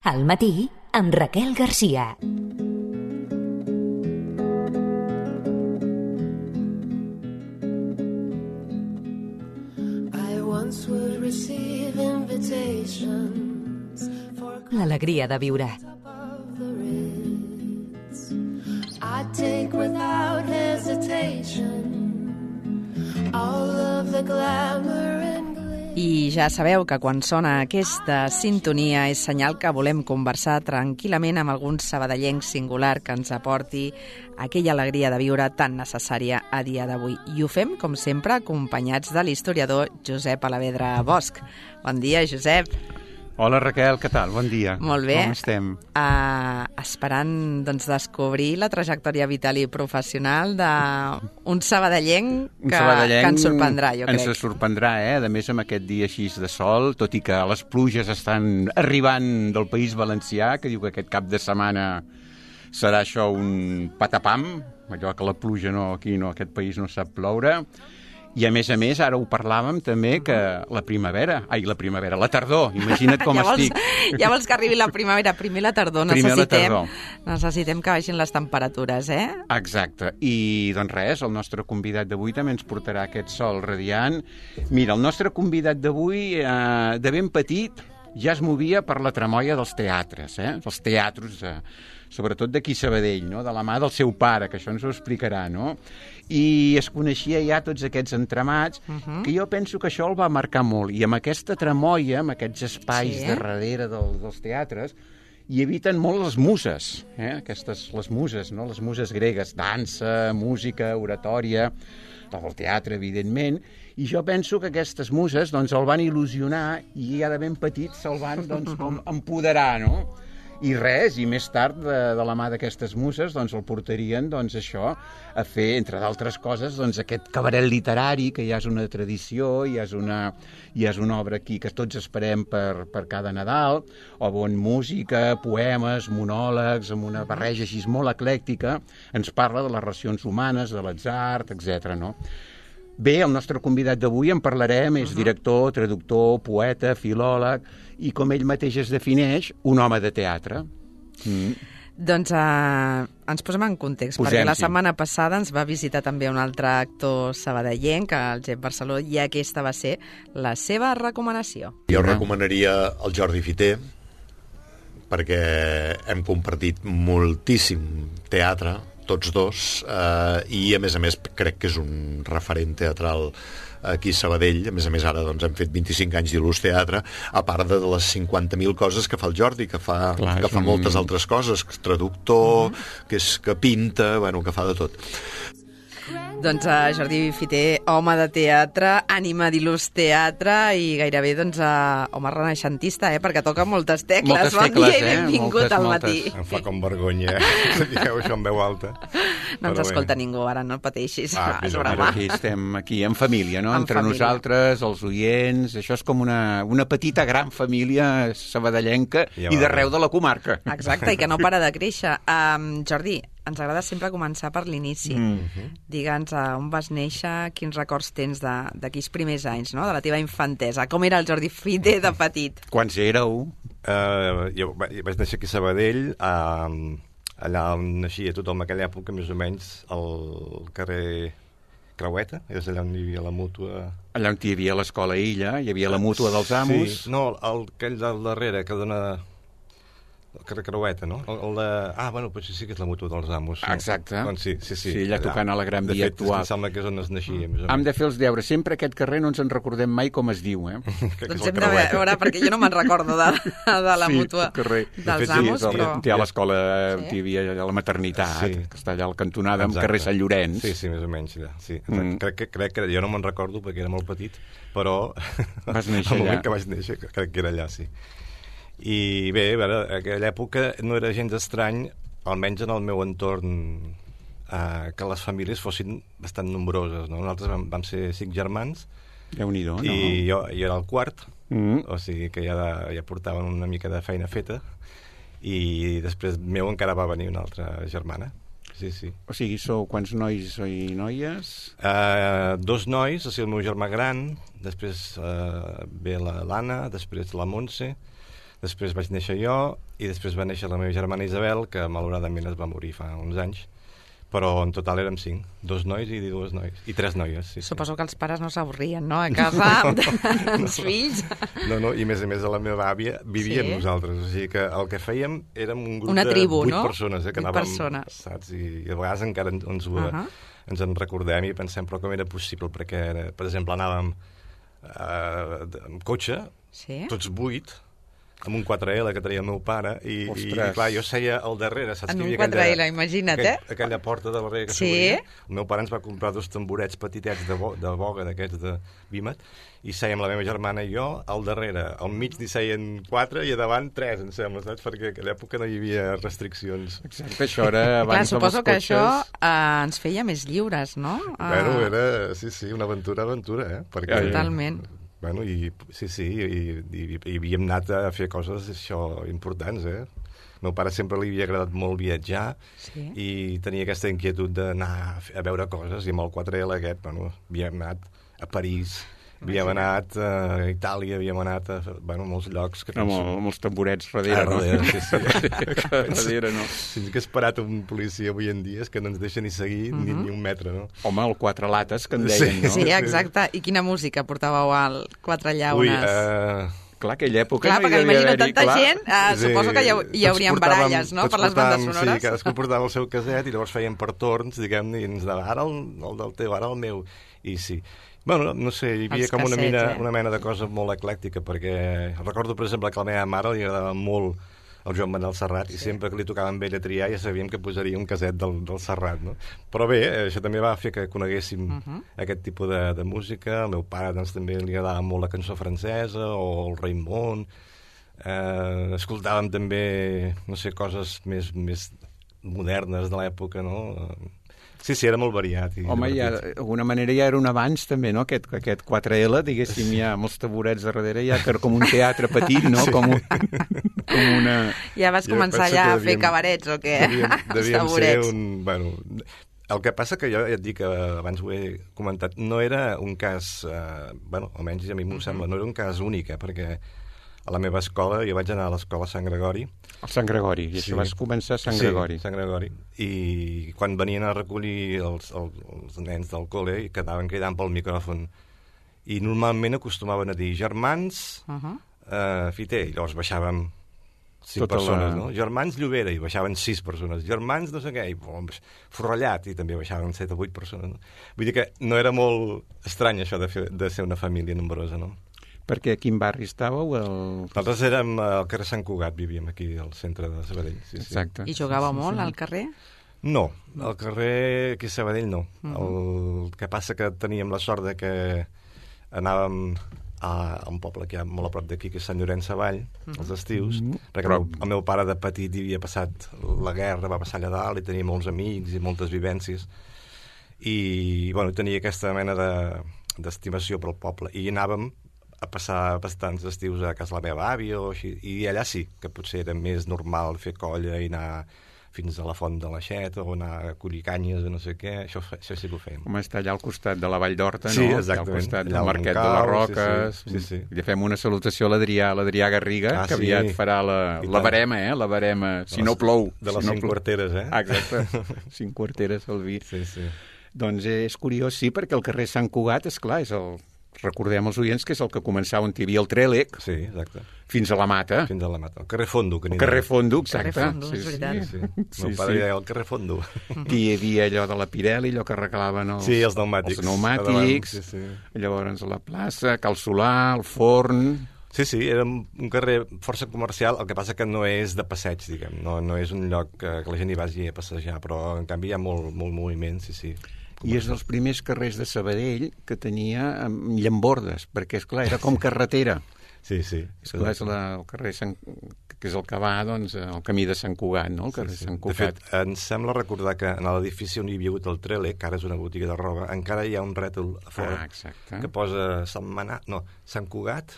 Al matí, amb Raquel Garcia. L'alegria de viure. I take without hesitation all of the glamour and glitter. I ja sabeu que quan sona aquesta sintonia és senyal que volem conversar tranquil·lament amb algun sabadellenc singular que ens aporti aquella alegria de viure tan necessària a dia d'avui. I ho fem, com sempre, acompanyats de l'historiador Josep Alavedra Bosch. Bon dia, Josep. Hola, Raquel, què tal? Bon dia. Molt bé. Com estem? Esperant descobrir la trajectòria vital i professional d'un sabadellenc que ens sorprendrà, jo crec. Ens sorprendrà, A més, amb aquest dia així de sol, tot i que les pluges estan arribant del País Valencià, que diu que aquest cap de setmana serà això un patapam, allò que la pluja aquí aquest país no sap ploure. I, a més, ara ho parlàvem també, que la tardor, imagina't com estic. Ja vols que arribi la primavera, primer la tardor, necessitem que baixin les temperatures, Exacte, i doncs res, el nostre convidat d'avui també ens portarà aquest sol radiant. Mira, el nostre convidat d'avui, de ben petit, ja es movia per la tramoia dels teatres, dels teatres, sobretot d'aquí Sabadell, no? De la mà del seu pare, que això ens ho explicarà, no? I es coneixia ja tots aquests entramats, que jo penso que això el va marcar molt. I amb aquesta tramoia, amb aquests espais de darrere dels teatres, hi eviten molt les muses, les muses, no? Les muses gregues, dansa, música, oratòria, del teatre, evidentment, i jo penso que aquestes muses doncs, el van il·lusionar i ja de ben petit se'l van com empoderar, no? I res, i més tard, de la mà d'aquestes muses, doncs el portarien, això, a fer, entre d'altres coses, aquest cabaret literari, que ja és una tradició, ja és una obra aquí que tots esperem per cada Nadal, on música, poemes, monòlegs, amb una barreja així molt eclèctica, ens parla de les relacions humanes, de l'atzar, etc. no? Bé, el nostre convidat d'avui en parlarem, és director, traductor, poeta, filòleg, i com ell mateix es defineix, un home de teatre. Doncs ens posem en context, perquè la setmana passada ens va visitar també un altre actor sabadellenc, el Gep Barceló, i aquesta va ser la seva recomanació. Jo recomanaria el Jordi Fiter, perquè hem compartit moltíssim teatre, tots dos, i a més crec que és un referent teatral aquí a Sabadell. A més ara doncs, hem fet 25 anys d'il·lus teatre, a part de les 50.000 coses que fa el Jordi, que fa moltes altres coses, que és traductor, que pinta, que fa de tot. Doncs Jordi Fiter, home de teatre, ànima d'il·lus teatre i gairebé home renaixentista, perquè toca moltes tecles. Bon dia i benvingut al matí. Em fa com vergonya, digueu això en veu alta. No ens escolta ningú, ara no pateixis. Aquí estem en família, no? Entre nosaltres, els oients, això és com una petita gran família sabadellenca i d'arreu de la comarca. Exacte, i que no para de créixer. Jordi, ens agrada sempre començar per l'inici. Digue'ns on vas néixer, quins records tens d'aquells primers anys, no? De la teva infantesa. Com era el Jordi Fiter de petit? Quants éreu? Jo vaig néixer aquí a Sabadell, allà on naixia tothom en aquella època, més o menys, al carrer Creueta, és allà on hi havia la mútua... Allà on hi havia l'escola Illa, hi havia la mútua dels amos... Sí, no, aquell del darrere, que dona... El carrer Creueta, no? Potser sí que és la mútua dels amos. No? Exacte. Doncs sí. Sí, allà tocant a la Gran Via actual. De fet, em sembla que és on es naixia. Hem de fer els deures. Sempre aquest carrer no ens en recordem mai com es diu, Doncs hem de veure, perquè jo no me'n recordo de la mútua dels amos, però... Hi ha l'escola, hi havia la maternitat, que està allà al cantonada, amb carrer Sant Llorenç. Sí, més o menys, allà. Sí. Crec que jo no me'n recordo perquè era molt petit, però... Vas néixer allà. El moment que vaig néixer, crec que era allà, sí. I bé, a veure, en aquella època no era gens estrany, almenys en el meu entorn, que les famílies fossin bastant nombroses, no? Nosaltres vam ser 5 germans, Déu-n'hi-do, no? I jo era el quart, o sigui que ja portaven una mica de feina feta, i després meu encara va venir una altra germana. Sí. O sigui, sou quants nois i noies? 2 nois, o sigui, el meu germà gran, després ve l'Anna, després la Montse, després vaig néixer jo, i després va néixer la meva germana Isabel, que malauradament es va morir fa uns anys, però en total érem 5, 2 nois i 2 noies, i 3 noies. Sí, Suposo que els pares no s'avorrien, no?, a casa amb els fills. No, i a més la meva àvia vivia amb nosaltres, o sigui que el que fèiem érem un grup una tribu, de 8 no? persones, que anàvem, saps? I a vegades encara ens en recordem i pensem, però com era possible, perquè, per exemple, anàvem amb cotxe, tots 8, amb un 4L que tenia el meu pare, i clar, jo seia al darrere, saps? En un 4L, imagina't, aquella porta de darrere que s'obria. El meu pare ens va comprar 2 tamborets petitets de boga, d'aquests de Vímet, i sèiem la meva germana i jo al darrere. Al mig n'hi seien 4 i a davant 3, em sembla, saps? Perquè a aquella època no hi havia restriccions. Exacte, això era abans clar, suposo que això ens feia més lliures, no? Bueno, era, sí, una aventura, perquè... Totalment. Bueno, i havíem anat a fer coses importants, El meu pare sempre li havia agradat molt viatjar i tenia aquesta inquietud d'anar a veure coses, i amb el 4L aquest, havíem anat a París, havíem anat a Itàlia, havíem anat a molts llocs. Amb els tamborets darrere, no? Sí. No. Si ens hagués parat un policia avui en dia és que no ens deixa ni seguir ni un metre, no? Home, el 4 lates, que en deien, no? Sí, exacte. I quina música portàveu al 4 llaunes? Clar, aquella època clar, perquè m'imagino tanta gent, suposo que hi haurien baralles, no?, per les bandes sonores. Sí, cadascú portava el seu caset i llavors feien per torns, diguem-ne, i ens deia, ara el del teu, ara el meu. I sí. Bueno, no sé, hi havia com una mena de cosa molt eclèctica, perquè recordo, per exemple, que a la meva mare li agradava molt el Joan Manel Serrat, i sempre que li tocava amb ell a triar ja sabíem que posaria un caset del Serrat, no? Però bé, això també va fer que coneguéssim aquest tipus de música. Al meu pare doncs, també li agradava molt la cançó francesa o el Raimon. Escoltàvem també, no sé, coses més modernes de l'època, no? Sí, era molt variat. Home, d'alguna manera ja era un avanç també, no? Aquest 4L, diguéssim, ja amb els taburets darrere, ja que era com un teatre petit, no? Com una... Ja vas començar ja a fer cabarets o què? Devíem ser un... Bueno, el que passa que jo ja et dic, abans ho he comentat, no era un cas, almenys a mi m'ho sembla, no era un cas únic, perquè a la meva escola, jo vaig anar a l'escola Sant Gregori. A Sant Gregori, i això vas començar a Sant Gregori. Sí, Sant Gregori. I quan venien a recollir els nens del col·le i quedaven cridant pel micròfon. I normalment acostumaven a dir germans Fiter, i llavors baixàvem 5 persones, no? Germans Llobera, i baixaven 6 persones. Germans no sé què, i Forrellat, i també baixaven 7 o 8 persones. No? Vull dir que no era molt estrany això de ser una família nombrosa, no? Perquè a quin barri estàveu? Nosaltres érem al carrer Sant Cugat, vivíem aquí al centre de Sabadell. Sí, exacte. I jugàveu molt al carrer? No, al carrer aquí a Sabadell no. El que passa que teníem la sort de que anàvem a un poble que hi ha molt a prop d'aquí, que és Sant Llorenç Savall, als estius, perquè el meu pare de petit hi havia passat la guerra, va passar allà dalt, i tenia molts amics i moltes vivències, i tenia aquesta mena d'estimació pel poble, i anàvem a passar bastants estius a casa la meva àvia o així, i allà sí, que potser era més normal fer colla i anar fins a la Font de l'Aixeta o anar a collir canyes o no sé què, això sí que ho fèiem. Com està allà al costat de la Vall d'Horta, no? Sí, exactament. Al costat del Marquet de les Roques. Sí. I fem una salutació a l'Adrià Garriga, que aviat farà la barema, la barema, si no plou. De les 5 quarteres, Exacte, 5 quarteres al vi. Sí. Doncs és curiós, sí, perquè el carrer Sant Cugat, esclar, és recordem als oients que és el que començava on hi havia el Trèlec. Sí, exacte. Fins a la Mata. Fins a la Mata. El carrer Fondo. El carrer Fondo, exacte. Carrer Fondo, és veritat. Sí. Meu pare deia el carrer Fondo. I hi havia allò de la Pirelli, allò que regalaven els pneumàtics. Els pneumàtics. Sí. Llavors a la plaça, Cal Solà, el forn... Sí, era un carrer força comercial, el que passa que no és de passeig, diguem. No és un lloc que la gent hi vagi a passejar, però en canvi hi ha molt moviment, sí. I és dels primers carrers de Sabadell que tenia llambordes, perquè, esclar, era com carretera. Sí. Esclar, és el carrer que és el que va, doncs, el camí de Sant Cugat, no? El carrer Sant Cugat. De fet, em sembla recordar que en l'edifici on hi havia hagut el Trèlec, que ara és una botiga de roba, encara hi ha un rètol a fora que posa Sant Cugat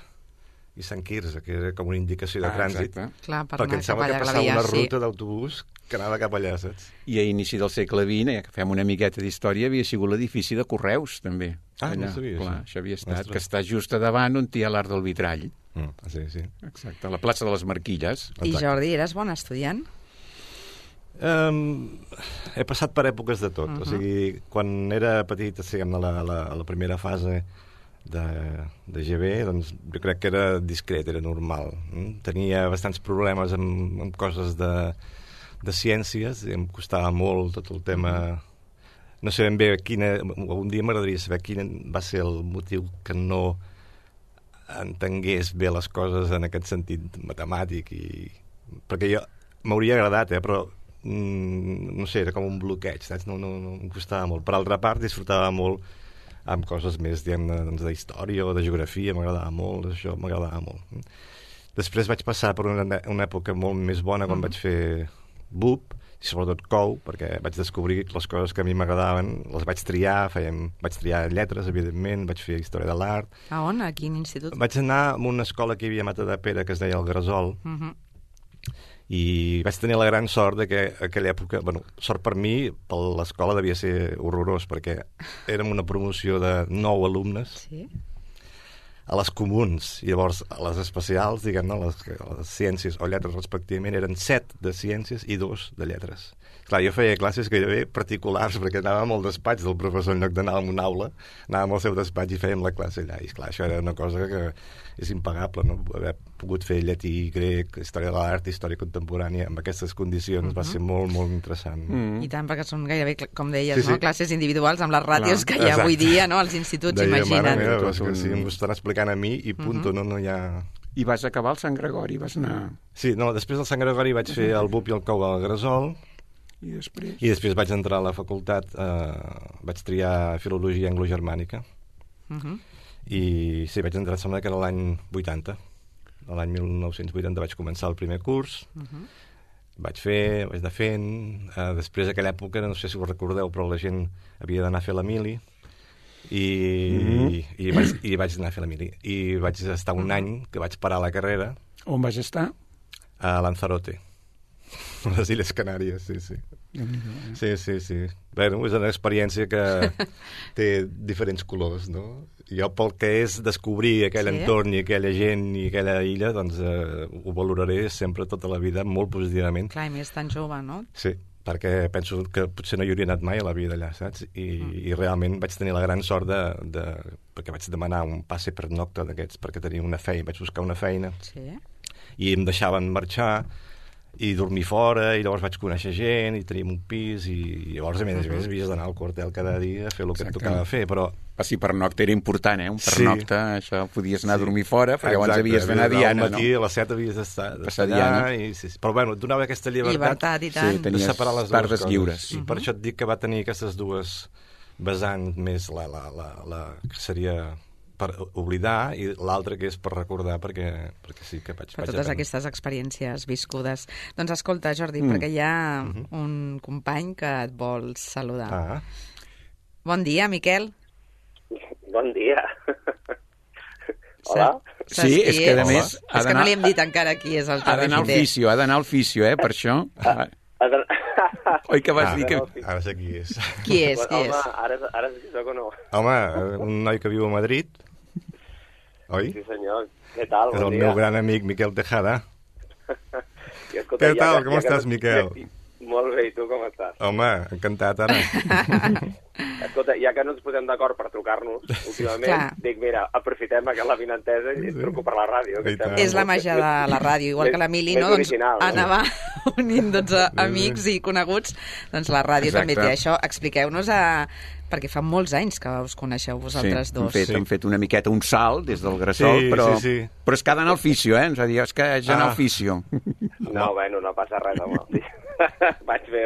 i Sant Quirze, que era com una indicació de trànsit. Clar, perquè em sembla que passava una ruta d'autobús que anava cap allà, saps? I a inici del segle XX, ja que fem una miqueta d'història, havia sigut l'edifici de Correus, també. No sabia això. Això havia estat, que està just a davant on hi ha l'Arc del Vitrall. Sí. Exacte, a la plaça de les Marquilles. I Jordi, eres bon estudiant? He passat per èpoques de tot. O sigui, quan era petit, a la primera fase de GB, doncs jo crec que era discret, era normal. Tenia bastants problemes amb coses de ciències, i em costava molt tot el tema. No sé ben bé un dia m'agradaria saber quin va ser el motiu que no entengués bé les coses en aquest sentit matemàtic, perquè m'hauria agradat, però no sé, era com un bloqueig, saps? No em costava molt. Per altra part, disfrutava molt amb coses més, diguem-ne, d'història o de geografia, m'agradava molt, això m'agradava molt. Després vaig passar per una època molt més bona quan vaig fer BUP, i sobretot COU, perquè vaig descobrir les coses que a mi m'agradaven, les vaig triar, vaig triar lletres, evidentment, vaig fer història de l'art. A on? A quin institut? Vaig anar a una escola que hi havia a Matadepera, que es deia el Gresol, i vaig tenir la gran sort de que aquella època, sort per mi, per l'escola devia ser horrorós, perquè érem una promoció de 9 alumnes a les comuns, i llavors a les especials, diguem-ne, les ciències o lletres respectivament, eren 7 de ciències i 2 de lletres. Clar, jo feia classes gairebé particulars, perquè anàvem al despatx del professor, en lloc d'anar a una aula, anàvem al seu despatx i fèiem la classe allà. I clar, això era una cosa que és impagable, no? Haver pogut fer llatí, grec, història de l'art, història contemporània, amb aquestes condicions va ser molt, molt interessant. I tant, perquè són gairebé, com deies, no? Classes individuals amb les ràtios que hi ha avui dia, no? Els instituts, imagina't. Mare meva, sí, m'ho estan explicant a mi i punto, no hi ha... I vas acabar al Sant Gregori, vas anar... Sí, no, després del Sant Gregori vaig fer el BUP i el COU al Gresol. I després vaig entrar a la facultat, vaig triar Filologia Anglo-Germànica, i sí, vaig entrar, sembla que era l'any 80. L'any 1980 vaig començar el primer curs, vaig anar fent, després d'aquella època, no sé si ho recordeu, però la gent havia d'anar a fer la mili, i vaig anar a fer la mili. I vaig estar un any que vaig parar la carrera. On vas estar? A Lanzarote. A les Illes Canàries, sí. Sí. Bueno, és una experiència que té diferents colors, no? Jo, pel que és descobrir aquell entorn i aquella gent i aquella illa, doncs ho valoraré sempre tota la vida molt positivament. Clar, i més tan jove, no? Sí, perquè penso que potser no hi hauria anat mai a la vida allà, saps? I realment vaig tenir la gran sort perquè vaig demanar un passe per nocta d'aquests, perquè tenia una feina, vaig buscar una feina, i em deixaven marxar i dormir fora, i llavors vaig conèixer gent i teníem un pis, i llavors a més havies d'anar al quartel cada dia a fer el que et tocava fer, però... Sí, per nocta era important, un pernocta, això, podies anar a dormir fora, perquè abans havies d'anar a Diana, no? Al matí, a les 7 havies d'estar allà, però bueno, et donava aquesta llibertat i tant. De separar les dues coses. Lliures. I per això et dic que va tenir aquestes dues vessants, més la que seria per oblidar, i l'altre que és per recordar, perquè sí que vaig... Per totes aquestes experiències viscudes. Doncs escolta, Jordi, perquè hi ha un company que et vol saludar. Bon dia, Miquel. Bon dia. Hola? Sí, és que a més... És que no li hem dit encara qui és el Jordi Fiter. Ha d'anar al fisio, per això. Oi que vas dir que... Ara sé qui és. Qui és? Home, ara sí que soc o no? Home, un noi que viu a Madrid, oi? Sí, senyor. Què tal? És el meu gran amic, Miquel Tejada. Què tal? Com estàs, Miquel? Molt bé, i tu com estàs? Home, encantat, ara. Escolta, ja que no ens posem d'acord per trucar-nos últimament, dic, mira, aprofitem la vinentesa i truco per la ràdio. És la màgia de la ràdio, igual que l'Emili, no? Doncs anava unint amics i coneguts, doncs la ràdio també té això. Expliqueu-nos perquè fa molts anys que us coneixeu vosaltres dos. Hem fet una miqueta un salt des del Gresol, però és que ha d'anar al fisio, ens va dir, és que haig d'anar al fisio. No, bueno, no passa res, home. Vaig bé.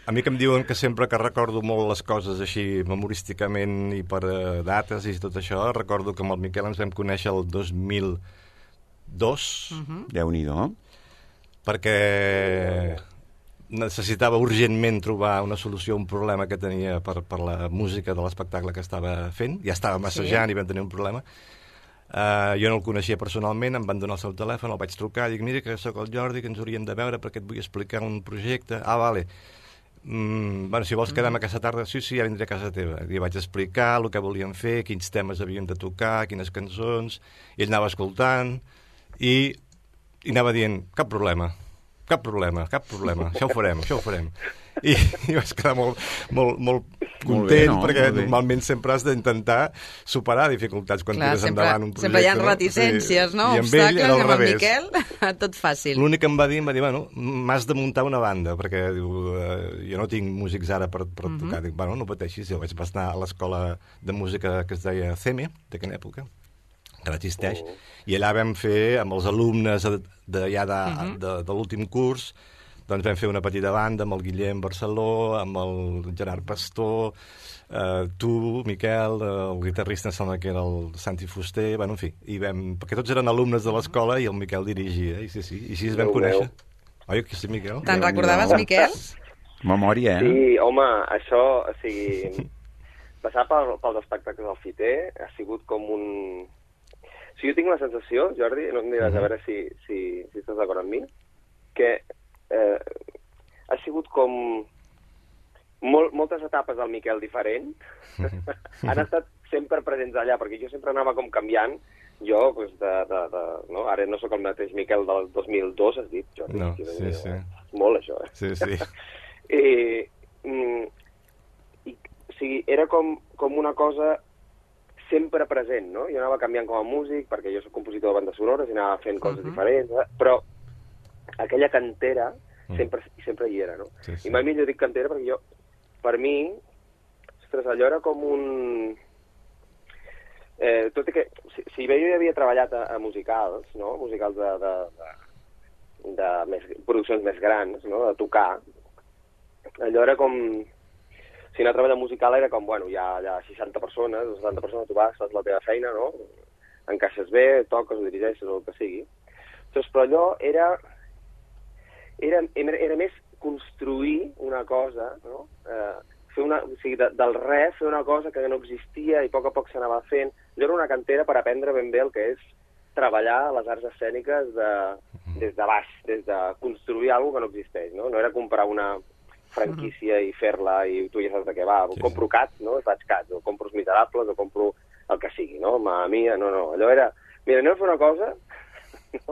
A mi que em diuen que sempre que recordo molt les coses així memorísticament i per dates i tot això, recordo que amb el Miquel ens vam conèixer el 2002. Déu-n'hi-do. Perquè necessitava urgentment trobar una solució a un problema que tenia per la música de l'espectacle que estava fent. Ja estava massejant i vam tenir un problema. Jo no el coneixia personalment, em van donar el seu telèfon, el vaig trucar, dic, mira que sóc el Jordi, que ens hauríem de veure perquè et vull explicar un projecte. Vale. si vols quedar-me a casa tarda, sí, ja vindré a casa teva. I vaig explicar el que volíem fer, quins temes havíem de tocar, quines cançons, i ell anava escoltant, i anava dient, cap problema, això ho farem. I vaig quedar molt content, perquè normalment sempre has d'intentar superar dificultats quan tires endavant un projecte. Sempre hi ha reticències, no? Obstacles, i amb el Miquel, tot fàcil. L'únic que em va dir, bueno, m'has de muntar una banda, perquè jo no tinc músics ara per tocar. Dic, bueno, no pateixis, jo vaig anar a l'escola de música que es deia CEME, d'aquella època, que no existeix, i allà vam fer, amb els alumnes de l'últim curs, doncs vam fer una petita banda amb el Guillem Barceló, amb el Gerard Pastor, tu, Miquel, el guitarrista em sembla que era el Santi Fuster, bueno, en fi, perquè tots eren alumnes de l'escola i el Miquel dirigia, i així es vam conèixer. Oi, que sí, Miquel? Te'n recordaves, Miquel? Memòria, Sí, home, això, o sigui, passar pels espectacles del Fiter ha sigut com un... O sigui, jo tinc la sensació, Jordi, no em diràs a veure si estàs d'acord amb mi, que ha sigut com moltes etapes del Miquel diferent. Han estat sempre presents allà, perquè jo sempre anava com canviant. Jo, no? Ara no sóc el mateix Miquel del 2002, has dit, Jordi. No, sí. Molt, això, Sí. O sigui, era com una cosa sempre present, no? Jo anava canviant com a músic, perquè jo soc compositor de bandes sonores i anava fent coses diferents, però aquella cantera sempre hi era, no? Sí. I mai millor dic cantera perquè per mi, ostres, allò era com un... tot i que, si bé jo ja havia treballat a musicals, no? Musicals de produccions més grans, no? De tocar, allò era com... Si anar a treballar musical era com, bueno, hi ha 60 persones, 70 persones, tu vas, fas la teva feina, no? Encaixes bé, toques, ho dirigeixes, o el que sigui. Doncs, però allò era més construir una cosa, no? O sigui, del res, fer una cosa que no existia i a poc s'anava fent. Allò era una cantera per aprendre ben bé el que és treballar les arts escèniques des de baix, des de construir alguna cosa que no existeix, no? No era comprar una franquícia i fer-la i tu ja saps de què va. Compro Cats, no? Faig Cats, o compro Els Miserables, o compro el que sigui, no? Mamma Mia, no. Allò era... Mira, anem a fer una cosa...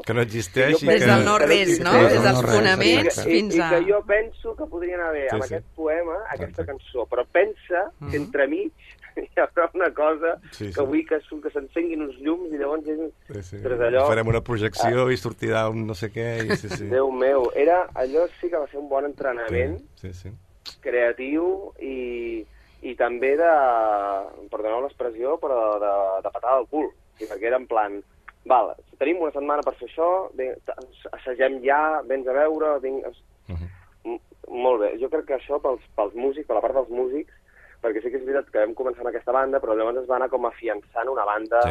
Que no existeix i des del no-res, no? Des dels fonaments fins a... I que jo penso que podrien haver amb aquest poema, aquesta cançó, però pensa que entremig hi haurà una cosa que vull que s'encenguin uns llums i llavors... Allò... Farem una projecció i sortirà un no sé què... Déu meu, allò sí que va ser un bon entrenament creatiu i també de, perdoneu l'expressió, però de patada al cul, perquè era en plan... Val, tenim una setmana per fer això, assagem ja, vens a veure... Molt bé, jo crec que això pels músics, per la part dels músics, perquè sí que és veritat que vam començar amb aquesta banda, però llavors es va anar com afiançant una banda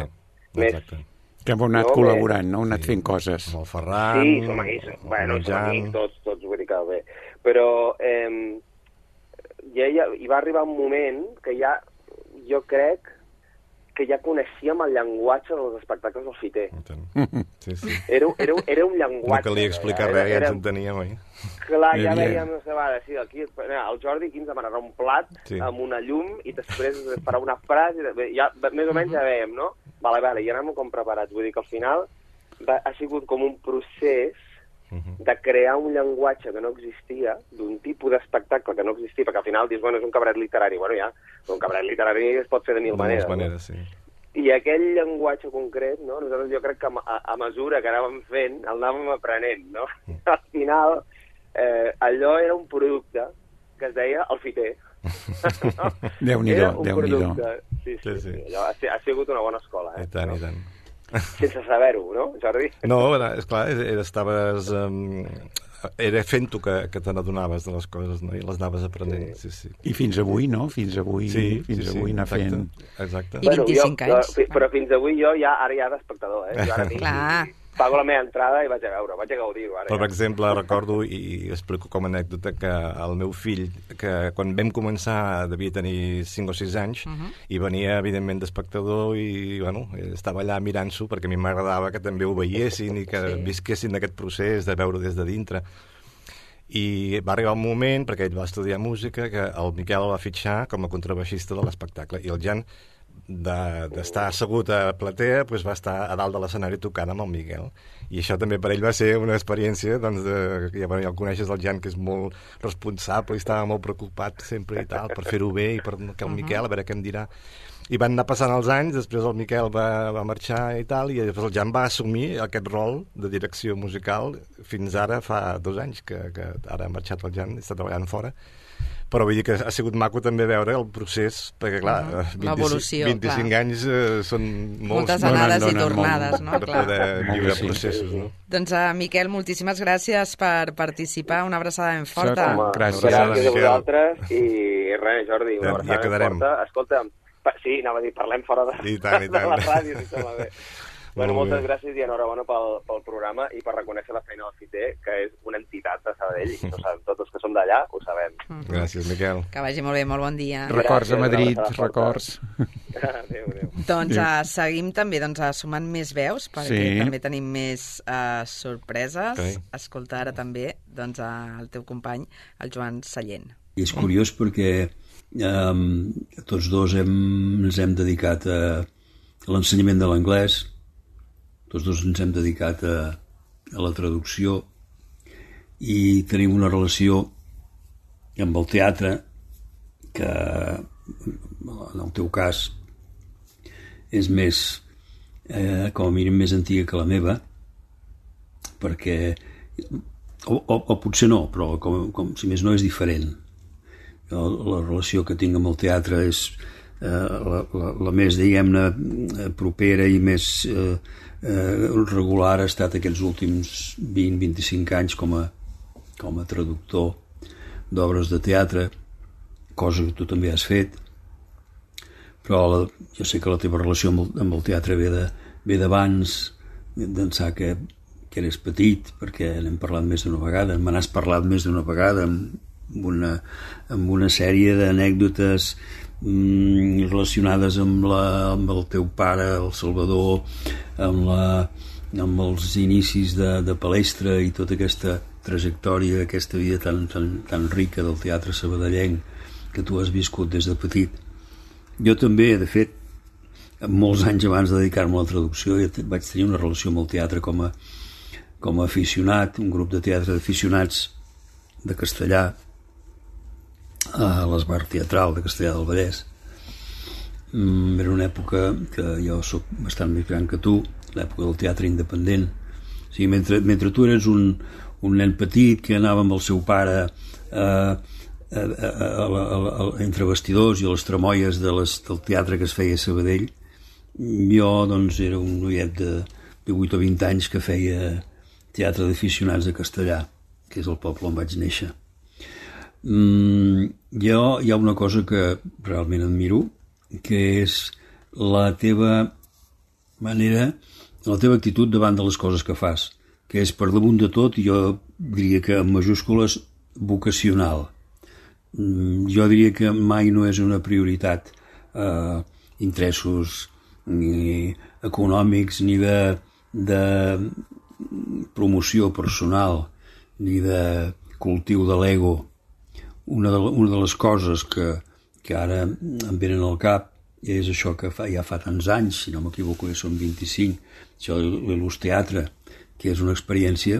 més... Que hem anat col·laborant, no? Hem anat fent coses. Amb el Ferran... Sí, som amics, tots, vull dir que bé. Però hi va arribar un moment que ja, jo crec, que ja coneixíem el llenguatge dels espectacles del Fiter. Era un llenguatge. No calia explicar res, ja ens enteníem, oi? Clar, ja veiem, no sé, sí, aquí el Jordi aquí ens demanarà un plat amb una llum i després farà una frase, ja, més o menys ja veiem, no? Vale, i anem com preparats. Vull dir que al final ha sigut com un procés de crear un llenguatge que no existia, d'un tipus d'espectacle que no existia, perquè al final dius, bueno, és un cabaret literari. Bueno, ja, un cabaret literari es pot fer de mil maneres. Sí. I aquell llenguatge concret, no? Nosaltres jo crec que a mesura que anàvem fent, el anàvem aprenent, no? Al final, allò era un producte que es deia el Fiter. Déu-n'hi-do, Déu-n'hi-do. Sí. Allò ha sigut una bona escola, I tant. Sense saber-ho, no, Jordi? No, esclar, estaves... Era fent-ho que te n'adonaves de les coses, no? I les anaves aprenent, sí. I fins avui, no? Fins avui anar fent... Exacte. I 25 anys. Però fins avui jo ara ja d'espectador, Jo ara pago la meva entrada i vaig a veure, vaig a gaudir-ho. Per exemple, recordo, i explico com a anècdota, que el meu fill, que quan vam començar devia tenir 5 o 6 anys, i venia, evidentment, d'espectador, i, bueno, estava allà mirant-s'ho, perquè a mi m'agradava que també ho veiessin i que visquessin aquest procés de veure des de dintre. I va arribar un moment, perquè ell va estudiar música, que el Miquel el va fitxar com a contrabaixista de l'espectacle, i el Jan, d'estar assegut a platea, doncs va estar a dalt de l'escenari tocant amb el Miquel. I això també per ell va ser una experiència, doncs, ja el coneixes el Jan, que és molt responsable i estava molt preocupat sempre i tal, per fer-ho bé, i per que el Miquel, a veure què em dirà. I van anar passant els anys, després el Miquel va marxar i tal, i després el Jan va assumir aquest rol de direcció musical fins ara, fa 2 anys, que ara ha marxat el Jan, està treballant fora. Però vull dir que ha sigut maco també veure el procés, perquè clar, 25 anys són moltes anades i tornades, no? Per poder viure processos, no? Doncs, Miquel, moltíssimes gràcies per participar, una abraçada ben forta. Gràcies a vosaltres, i res, Jordi, una abraçada ben forta. Escolta'm, sí, anava a dir, parlem fora de la ràdio, si sembla bé. Bueno, moltes gràcies i enhorabona pel programa i per reconèixer la feina del FITE, que és una entitat de Sabadell, i no sabem, tots els que som d'allà ho sabem. Gràcies, Miquel. Que vagi molt bé, molt bon dia. Records a Madrid, records. Adéu. Doncs seguim també sumant més veus, perquè també tenim més sorpreses. Escolta ara també el teu company, el Joan Sallent. I és curiós perquè tots dos ens hem dedicat a l'ensenyament de l'anglès, tots dos ens hem dedicat a la traducció i tenim una relació amb el teatre que, en el teu cas, és més, com a mínim, més antiga que la meva, perquè, o potser no, però com si més no és diferent. La relació que tinc amb el teatre és la més, diguem-ne, propera i més regular ha estat aquests últims 20-25 anys com a traductor d'obres de teatre, cosa que tu també has fet, però jo sé que la teva relació amb el teatre ve d'abans, d'ençà que eres petit, perquè n'hem parlat més d'una vegada, me n'has parlat més d'una vegada amb una sèrie d'anècdotes relacionades amb el teu pare, el Salvador, amb els inicis de Palestra i tota aquesta trajectòria, aquesta vida tan rica del teatre sabadellenc que tu has viscut des de petit. Jo també, de fet, molts anys abans de dedicar-me a la traducció, vaig tenir una relació amb el teatre com a aficionat, un grup de teatre d'aficionats de castellà, a l'Esbar Teatral de Castellar del Vallès. Era una època que jo soc bastant més gran que tu, l'època del teatre independent. O sigui, mentre tu eres un nen petit que anava amb el seu pare entre vestidors i a les tramoies del teatre que es feia a Sabadell, jo doncs era un noiet de 8 o 20 anys que feia teatre d'aficionats a Castellar, que és el poble on vaig néixer. Hi ha una cosa que realment admiro, que és la teva manera, la teva actitud davant de les coses que fas, que és per damunt de tot, jo diria que en majúscules, vocacional. Jo diria que mai no és una prioritat interessos ni econòmics, ni de promoció personal, ni de cultiu de l'ego. Una de les coses que ara em venen al cap és això que ja fa tants anys, si no m'equivoco ja són 25, això de l'Il·lus Teatre, que és una experiència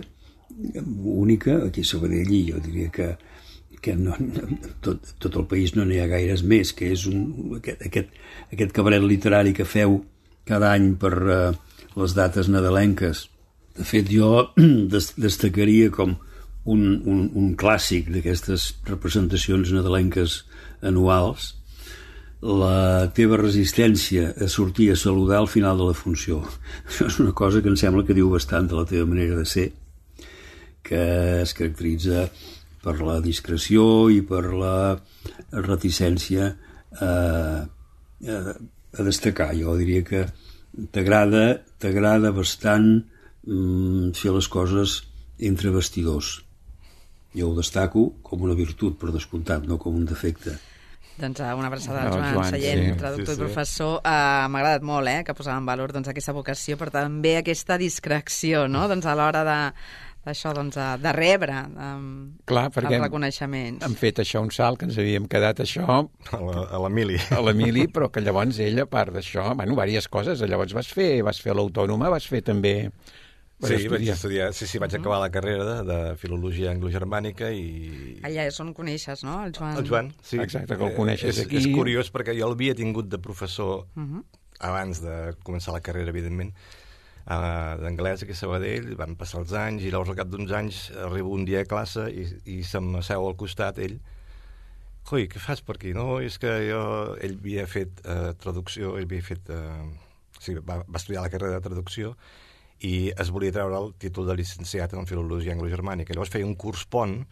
única aquí a Sabadell, i jo diria que tot el país no n'hi ha gaires més, que és aquest cabaret literari que feu cada any per les dates nadalenques. De fet, jo destacaria com un clàssic d'aquestes representacions nadalenques anuals, la teva resistència a sortir a saludar al final de la funció. Això és una cosa que em sembla que diu bastant de la teva manera de ser, que es caracteritza per la discreció i per la reticència a destacar. Jo diria que t'agrada bastant fer les coses entre vestidors. Jo ho destaco com una virtut, per descomptat, no com un defecte. Doncs una abraçada al Joan Sallent, traductor i professor. M'ha agradat molt que posava en valor aquesta vocació, però també aquesta discreció, no? A l'hora d'això, doncs, de rebre els reconeixements. Han fet això un salt, que ens havíem quedat això... A l'Emili. A l'Emili, però que llavors ell, a part d'això, bueno, diverses coses. Llavors vas fer l'Autònoma, vas fer també... Sí, vaig estudiar, vaig acabar la carrera de Filologia Anglogermànica i... Allà és on coneixes, no, el Joan? El Joan, sí. Exacte, que el coneixes aquí. És curiós perquè jo l'havia tingut de professor abans de començar la carrera, evidentment, d'anglès aquí a Sabadell, van passar els anys i llavors al cap d'uns anys arribo un dia a classe i se'm seu al costat ell. Coi, què fas per aquí? No, és que ell havia fet traducció, ell havia fet... va estudiar la carrera de traducció i es volia treure el títol de llicenciat en Filologia Anglogermànica. Llavors feia un curs pont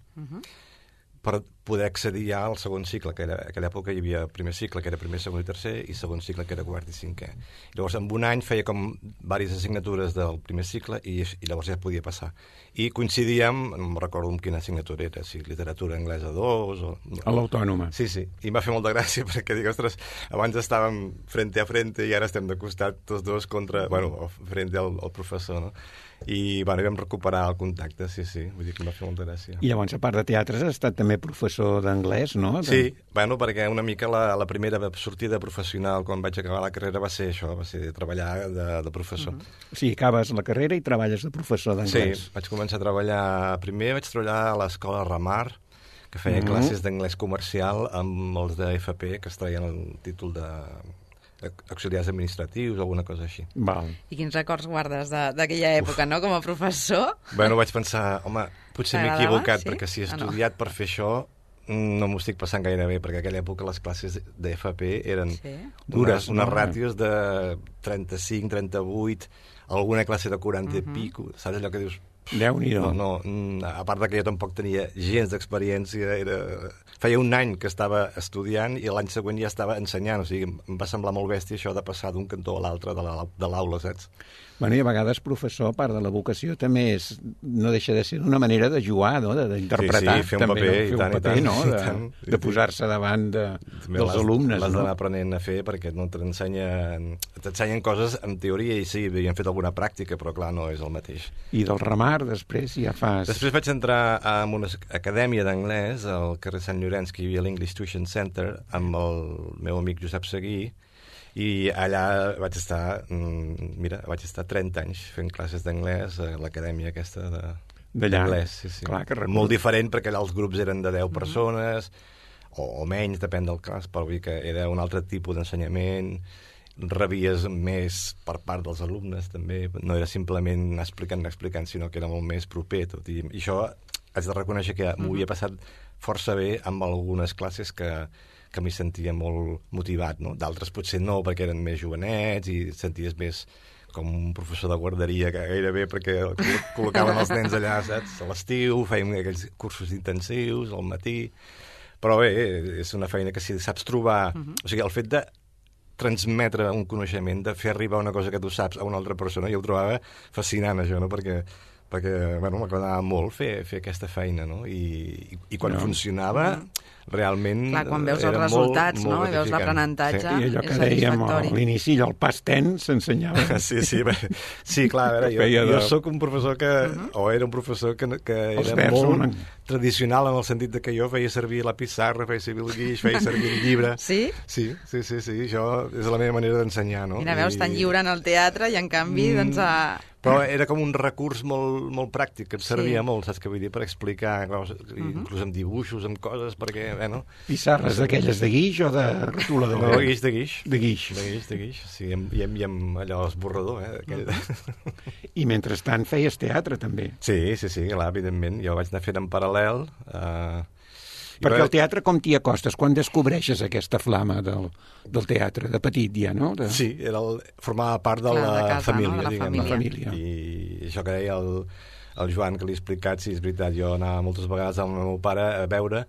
per poder accedir ja al segon cicle, que era, a aquella època hi havia primer cicle, que era primer, segon i tercer, i segon cicle, que era quart i cinquè. Llavors, en un any feia com diverses assignatures del primer cicle i llavors ja podia passar. I coincidíem, no em recordo amb quina assignatura era, si literatura anglesa 2 o... A l'Autònoma. Sí, i em va fer molta gràcia perquè dic, ostres, abans estàvem frente a frente i ara estem de costat tots dos contra... Bueno, frente al professor, no? I bueno, vam recuperar el contacte, sí, vull dir que em va fer molta gràcia. I llavors, a part de teatres, has estat també professor d'anglès, no? Sí, bueno, perquè una mica la primera sortida professional quan vaig acabar la carrera va ser això, va ser treballar de professor. O sigui, acabes la carrera i treballes de professor d'anglès. Sí, vaig començar a treballar... Primer vaig treballar a l'escola Ramar, que feia classes d'anglès comercial amb els de FP, que es traien el títol de... auxiliars administratius o alguna cosa així. Val. I quins records guardes d'aquella època, no?, com a professor? Bueno, vaig pensar, home, potser m'he equivocat, perquè si he estudiat per fer això no m'ho estic passant gaire bé, perquè a aquella època les classes d'FP eren dures, unes ràtios de 35, 38, alguna classe de 40 i pico, saps allò que dius... Déu-n'hi-do. No, a part que jo tampoc tenia gens d'experiència, feia un any que estava estudiant i l'any següent ja estava ensenyant, o sigui, em va semblar molt bèstia això de passar d'un cantó a l'altre de l'aula, saps? Bueno, i a vegades, professor, a part de la vocació, també no deixa de ser una manera de jugar, no?, d'interpretar. Sí, fer un paper, i tant, no?, de posar-se davant dels alumnes. L'has d'anar aprenent a fer perquè no t'ensenyen coses en teoria i sí, havien fet alguna pràctica, però clar, no és el mateix. I del Ramar, després ja fas... Després vaig entrar en una acadèmia d'anglès al carrer Sant Llorenç, que hi havia l'English Tuition Center, amb el meu amic Josep Seguí, i allà vaig estar 30 anys fent classes d'anglès a l'acadèmia aquesta d'anglès. Sí. Clar, molt diferent, perquè allà els grups eren de 10 persones, o menys, depèn del cas, però vull dir que era un altre tipus d'ensenyament, rebies més per part dels alumnes, també. No era simplement anar explicant, sinó que era molt més proper tot. I això haig de reconèixer que m'ho havia passat força bé amb algunes classes que m'hi sentia molt motivat, no? D'altres potser no, perquè eren més jovenets i senties més com un professor de guarderia que gairebé perquè col·locaven els nens allà, saps? A l'estiu, fèiem aquells cursos intensius, al matí... Però bé, és una feina que si saps trobar... O sigui, el fet de transmetre un coneixement, de fer arribar una cosa que tu saps a una altra persona, jo ho trobava fascinant, això, no? Perquè bueno, m'agradava molt fer aquesta feina, no? I quan funcionava, realment... Clar, quan veus els resultats, no? I veus l'aprenentatge, i allò que dèiem a l'inici, el past tense s'ensenyava. Sí, clar, a veure, jo sóc un professor que... O era un professor que era molt tradicional en el sentit que jo feia servir la pissarra, feia servir el guix, feia servir el llibre. Sí? Sí, això és la meva manera d'ensenyar, no? Mira, veus, tan lliure en el teatre i en canvi, doncs... Però era com un recurs molt pràctic, que em servia molt, saps què vull dir, per explicar, inclús amb dibuixos, amb coses, perquè, bueno... Pissarres d'aquelles de guix o de retolador? No, de guix. De guix. Sí, i amb allò esborrador, I mentrestant feies teatre, també. Sí, clar, evidentment. Jo vaig anar fent en paral·lel... Perquè el teatre com t'hi acostes? Quan descobreixes aquesta flama del teatre? De petit ja, no? Sí, formava part de la família, diguem. La família. I això que deia el Joan, que li he explicat, sí, és veritat, jo anava moltes vegades amb el meu pare a veure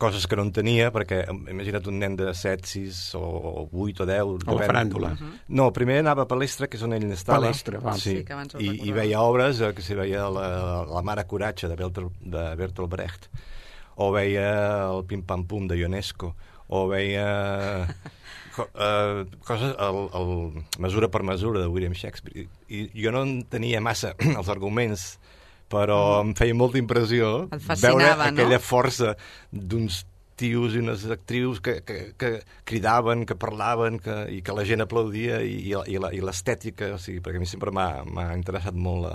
coses que no entenia, perquè imagina't un nen de 7, 6 o 8 o 10... A la faràndula. No, primer anava a Palestra, que és on ell estava. Palestra, val. Sí, i veia obres, que si veia la Mare Coratge de Bertolt Brecht, o veia el Pim Pam Pum de Ionesco, o veia coses mesura per mesura de William Shakespeare. I jo no entenia massa els arguments, però em feia molta impressió veure aquella força d'uns tios i unes actrius que cridaven, que parlaven i que la gent aplaudia i l'estètica, o sigui, perquè a mi sempre m'ha interessat molt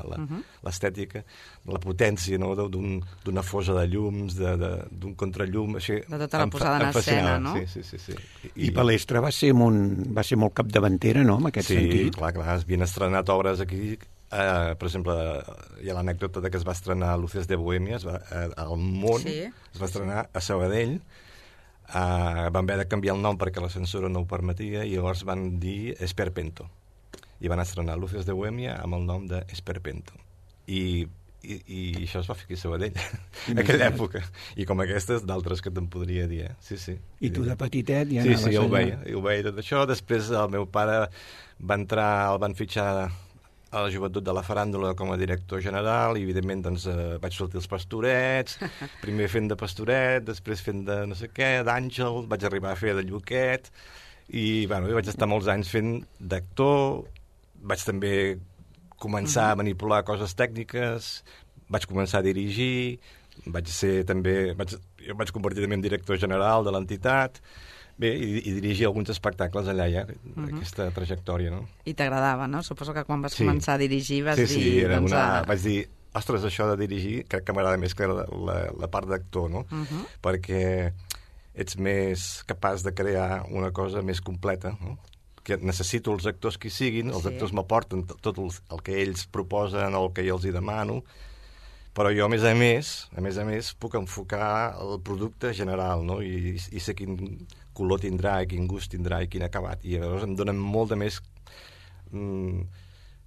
l'estètica, la potència, no? D'una fosa de llums, d'un contrallum, així, de tota la posada en escena, no? Sí. I Palestra va ser molt capdavantera, no?, en aquest sentit. Sí, clar, havien estrenat obres aquí. Per exemple, hi ha l'anècdota que es va estrenar Luces de Bohèmia al món, es va estrenar a Sabadell, van haver de canviar el nom perquè la censura no ho permetia i llavors van dir Esperpento i van estrenar Luces de Bohèmia amb el nom de Esperpento i això es va fer aquí a Sabadell en aquella època, i com aquestes d'altres que te'n podria dir, Sí. I tu de petitet ja anaves allà? Sí, ho veia tot això. Després el meu pare el van fitxar a la joventut de la faràndula com a director general i, evidentment, doncs, vaig sortir als Pastorets, primer fent de Pastoret, després fent de no sé què, d'Àngel, vaig arribar a fer de Lluquet, i vaig estar molts anys fent d'actor, vaig també començar a manipular coses tècniques, vaig començar a dirigir, jo vaig convertir també en director general de l'entitat, i dirigir alguns espectacles allà ja, aquesta trajectòria, no? I t'agradava, no? Suposo que quan vas començar a dirigir vas dir... Sí, vaig dir, ostres, això de dirigir crec que m'agrada més que la part d'actor, no? Perquè ets més capaç de crear una cosa més completa, no? Que necessito els actors que hi siguin, els actors m'aporten tot el que ells proposen o el que jo els hi demano, però jo, a més a més, puc enfocar el producte general, no? I sé quin color tindrà, quin gust tindrà i quin acabat. I llavors em donen molta més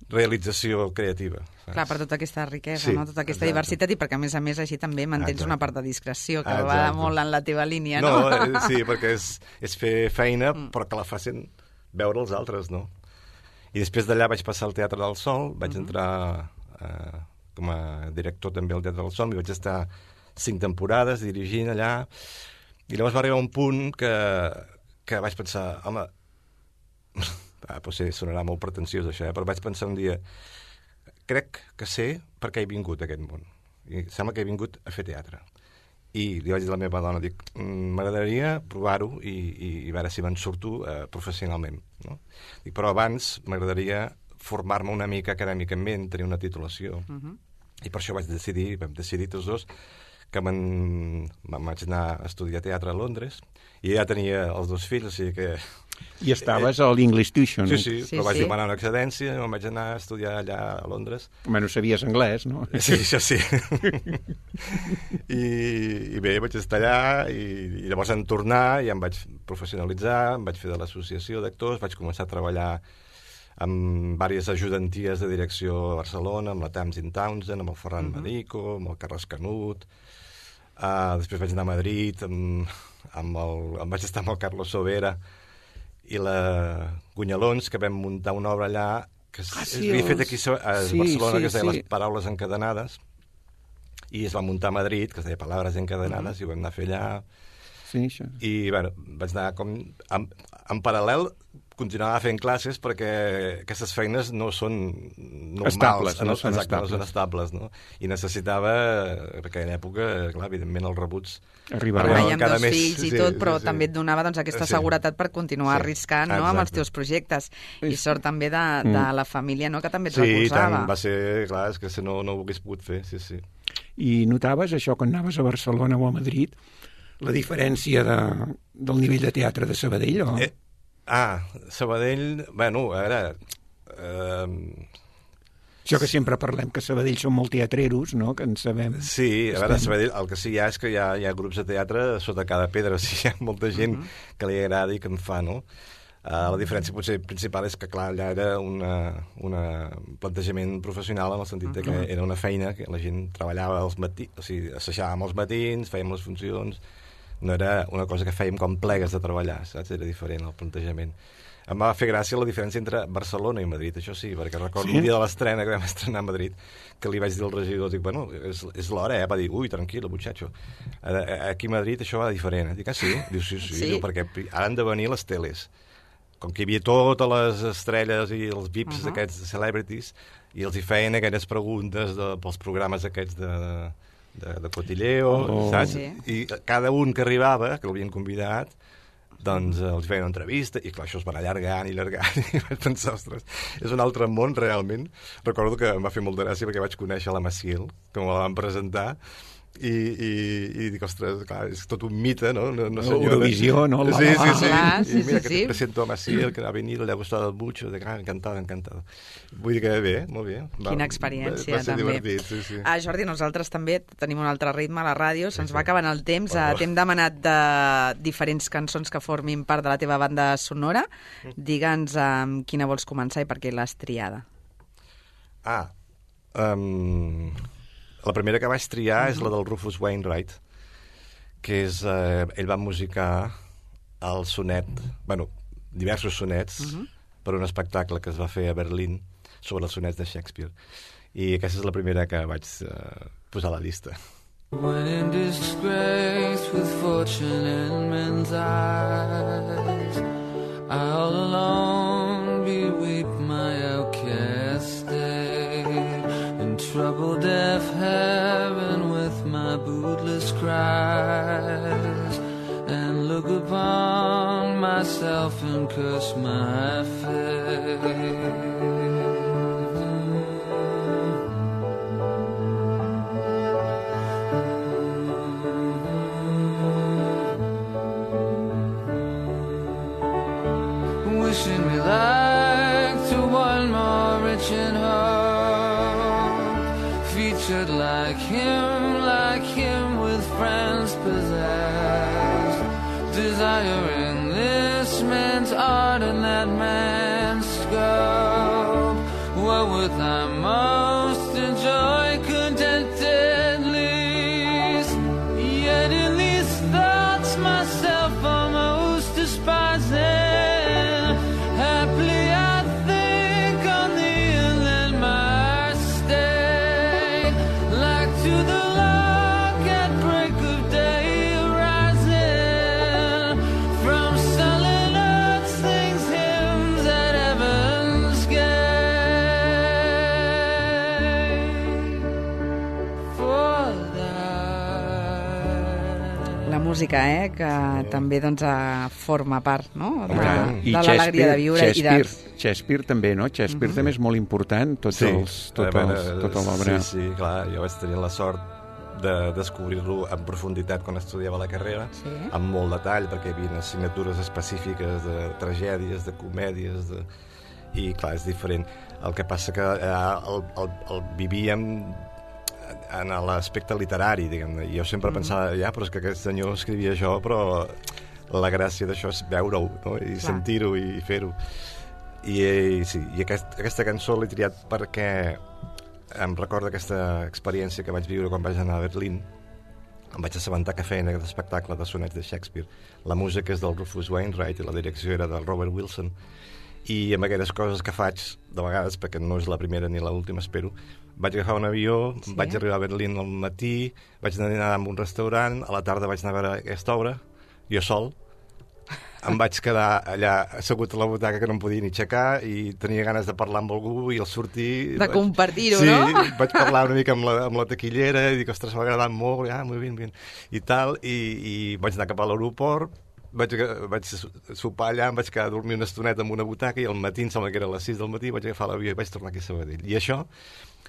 realització creativa. Saps? Clar, per tota aquesta riquesa, no? Tota aquesta diversitat, i perquè, a més, així també mantens una part de discreció, que va molt en la teva línia, no? Sí, perquè és fer feina, però que la facin veure els altres, no? I després d'allà vaig passar al Teatre del Sol, vaig entrar com a director també al Teatre del Sol, i vaig estar 5 temporades dirigint allà, i llavors va arribar un punt que vaig pensar, home, potser sonarà molt pretensiós això, però vaig pensar un dia, crec que sé per què he vingut a aquest món, i sembla que he vingut a fer teatre. I li vaig dir a la meva dona, m'agradaria provar-ho i veure si me'n surto professionalment, no? Però abans m'agradaria formar-me una mica acadèmicament, tenir una titulació. I per això vam decidir tots dos que vaig anar a estudiar teatre a Londres, i ja tenia els 2 fills, o sigui que... I estaves a l'English Tuition. Sí, però vaig demanar una excedència, me'n vaig anar a estudiar allà a Londres. Home, no sabies anglès, no? Sí, això sí. I bé, vaig estar allà, i llavors en tornar ja em vaig professionalitzar, em vaig fer de l'associació d'actors, vaig començar a treballar amb diverses ajudanties de direcció a Barcelona, amb la Tamsin Townsend, amb el Ferran Medico, amb el Carles Canut. Després vaig anar a Madrid, vaig estar amb el Carlos Sobera i la Gunyalons, que vam muntar una obra allà que s'havia fet aquí a Barcelona, que es deia Les Paraules Encadenades, i es va muntar a Madrid, que es deia Palabras Encadenades, i ho vam anar a fer allà. Sí, això. I vaig anar com... En paral·lel continuava fent classes perquè aquestes feines no són normals, no són estables, no? I necessitava, perquè en època, clar, evidentment els rebuts arribaven cada mes. Amb 2 fills i tot, però també et donava aquesta seguretat per continuar arriscant, no?, amb els teus projectes. I sort també de la família, no?, que també et recolzava. Sí, tant, va ser, clar, és que si no ho hagués pogut fer, sí. I notaves això quan anaves a Barcelona o a Madrid, la diferència del nivell de teatre de Sabadell, o...? Sabadell, bueno, a veure... Això que sempre parlem, que Sabadell són molt teatreros, no?, que en sabem. Sí, a veure, Sabadell, el que sí hi ha és que hi ha grups de teatre sota cada pedra, o sigui, hi ha molta gent que li agrada i que en fa, no? La diferència potser principal és que, clar, allà era un plantejament professional en el sentit que era una feina que la gent treballava als matins, o sigui, assajàvem els matins, fèiem les funcions, no era una cosa que fèiem com plegues de treballar, saps? Era diferent el plantejament. Em va fer gràcia la diferència entre Barcelona i Madrid, això sí, perquè recordo un dia de l'estrena que vam estrenar a Madrid, que li vaig dir al regidor, dic, bueno, és l'hora, va dir, ui, tranquil, muchacho, aquí a Madrid això va diferent. Dic, sí? Diu, sí, perquè han de venir les teles. com que hi havia totes les estrelles i els VIPs d'aquests celebrities, i els hi feien aquelles preguntes pels programes aquests de cotilleo, saps? Sí. I cada un que arribava, que l'havien convidat, doncs els feien una entrevista, i clar, això es va allargant i vaig pensar, ostres, és un altre món realment. Recordo que em va fer molta gràcia perquè vaig conèixer la Maciel, que me la van presentar, i dic, ostres, clar, és tot un mite, no? Eurovisió, no? Sí. Sí, mira, que te presento a Maciel, que va venir, le ha gustado mucho, encantada. Vull dir que bé, molt bé. Quina experiència, va ser també. Divertit, sí. Jordi, nosaltres també tenim un altre ritme a la ràdio, se'ns va acabant el temps, t'hem demanat de diferents cançons que formin part de la teva banda sonora. Digue'ns amb quina vols començar i per què l'has triada. La primera que vaig triar és la del Rufus Wainwright, que és... ell va musicar el sonet, diversos sonets, per un espectacle que es va fer a Berlín sobre els sonets de Shakespeare. I aquesta és la primera que vaig posar a la llista. When in disgrace with fortune in men's eyes, I'll alone beweep my outcast state, in trouble deaf heaven with my bootless cries, and look upon myself and curse my fate. Wishing me like to one more rich in hope, featured like him with friends possessed, desiring this man's art and that man's scope. What would I most enjoy contented least? Yet in these thoughts myself almost despising, música, que també forma part, no? de l'alegria de viure. Shakespeare també, no? Shakespeare també és molt important, tota l'obra. Sí, clar, jo vaig tenir la sort de descobrir-lo en profunditat quan estudiava la carrera, amb molt detall, perquè hi havia assignatures específiques de tragèdies, de comèdies, i clar, és diferent. El que passa que el vivíem en l'aspecte literari, diguem-ne. Jo sempre pensava, però és que aquest senyor escrivia això, però la gràcia d'això és veure-ho, no? I sentir-ho i fer-ho. I aquesta cançó l'he triat perquè em recorda aquesta experiència que vaig viure quan vaig anar a Berlín. Em vaig assabentar que feien aquest espectacle de sonets de Shakespeare. La música és del Rufus Wainwright i la direcció era del Robert Wilson. I amb aquelles coses que faig, de vegades, perquè no és la primera ni l'última, espero, vaig agafar un avió, vaig arribar a Berlín al matí, vaig anar a un restaurant, a la tarda vaig anar a veure aquesta obra, jo sol, em vaig quedar allà assegut a la butaca que no em podia ni aixecar i tenia ganes de parlar amb algú i al sortir... De compartir-ho, no? Sí, vaig parlar una mica amb la taquillera i dic, ostres, m'ha agradat molt, molt bé, i tal, i vaig anar cap a l'aeroport, vaig sopar allà, em vaig quedar a dormir una estoneta en una butaca i al matí, em sembla que era a les 6 del matí, vaig agafar l'avió i vaig tornar aquí a Sabadell. I això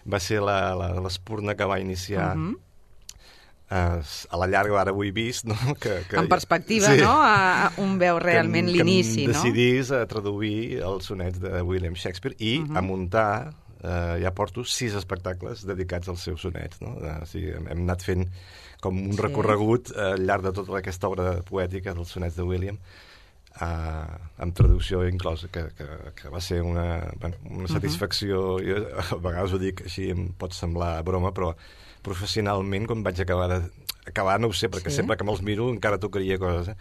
va ser l'espurna que va iniciar a la llarga, ara ho he vist, no? En perspectiva, no? Un veu realment l'inici, no? Que em decidís a traduir els sonets de William Shakespeare i a muntar, ja porto 6 espectacles dedicats als seus sonets, no? O sigui, hem anat fent com un recorregut al llarg de tota aquesta obra poètica dels sonets de William, amb traducció inclosa, que va ser una satisfacció. Jo a vegades ho dic així, em pot semblar broma, però professionalment, quan vaig acabar, no ho sé, perquè sempre que me'ls miro encara tocaria coses,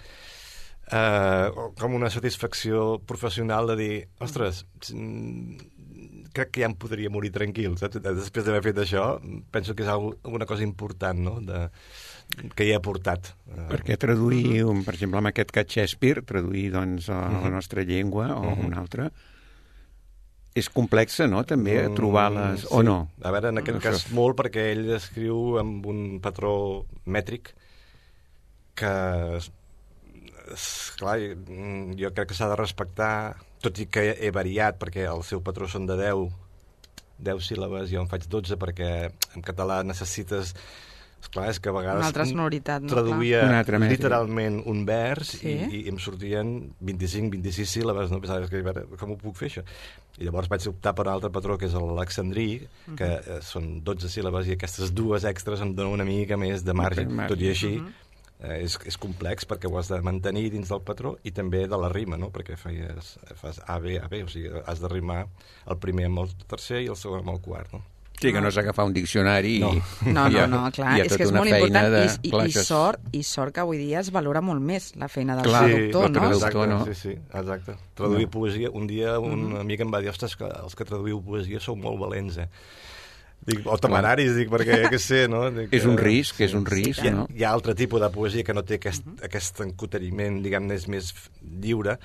com una satisfacció professional de dir, ostres, crec que ja em podria morir tranquil, saps? Després d'haver fet això, penso que és alguna cosa important, no?, que hi he aportat. Perquè traduir, per exemple, amb aquest cas Shakespeare, traduir, doncs, a la nostra llengua o una altra, és complexa, no?, també, trobar-les, o no? A veure, en aquest cas molt, perquè ell escriu amb un patró mètric que, esclar, jo crec que s'ha de respectar, tot i que he variat, perquè el seu patró són de 10 síl·labes, jo en faig 12, perquè en català necessites... Esclar, és que a vegades una altra sonoritat, no? Traduïa literalment un vers i em sortien 25-26 síl·labes, no? Pensaves que, com ho puc fer, això? I llavors vaig optar per un altre patró, que és l'alexandrí, que són 12 síl·labes, i aquestes dues extres em donen una mica més de marge. Tot i així, és complex, perquè ho has de mantenir dins del patró i també de la rima, no? Perquè fas A, B, o sigui, has de rimar el primer amb el tercer i el segon amb el quart, no? Sí, que no és agafar un diccionari No, clar, és que és molt important i sort que avui dia es valora molt més la feina del traductor, no? Sí, exacte. Traduir poesia, un dia un amic em va dir, ostres, que els que traduïu poesia sou molt valents, Dic, o temeraris, perquè què sé, no? Dic, és un risc, no? Hi ha altre tipus de poesia que no té aquest encoteriment, diguem-ne, és més lliure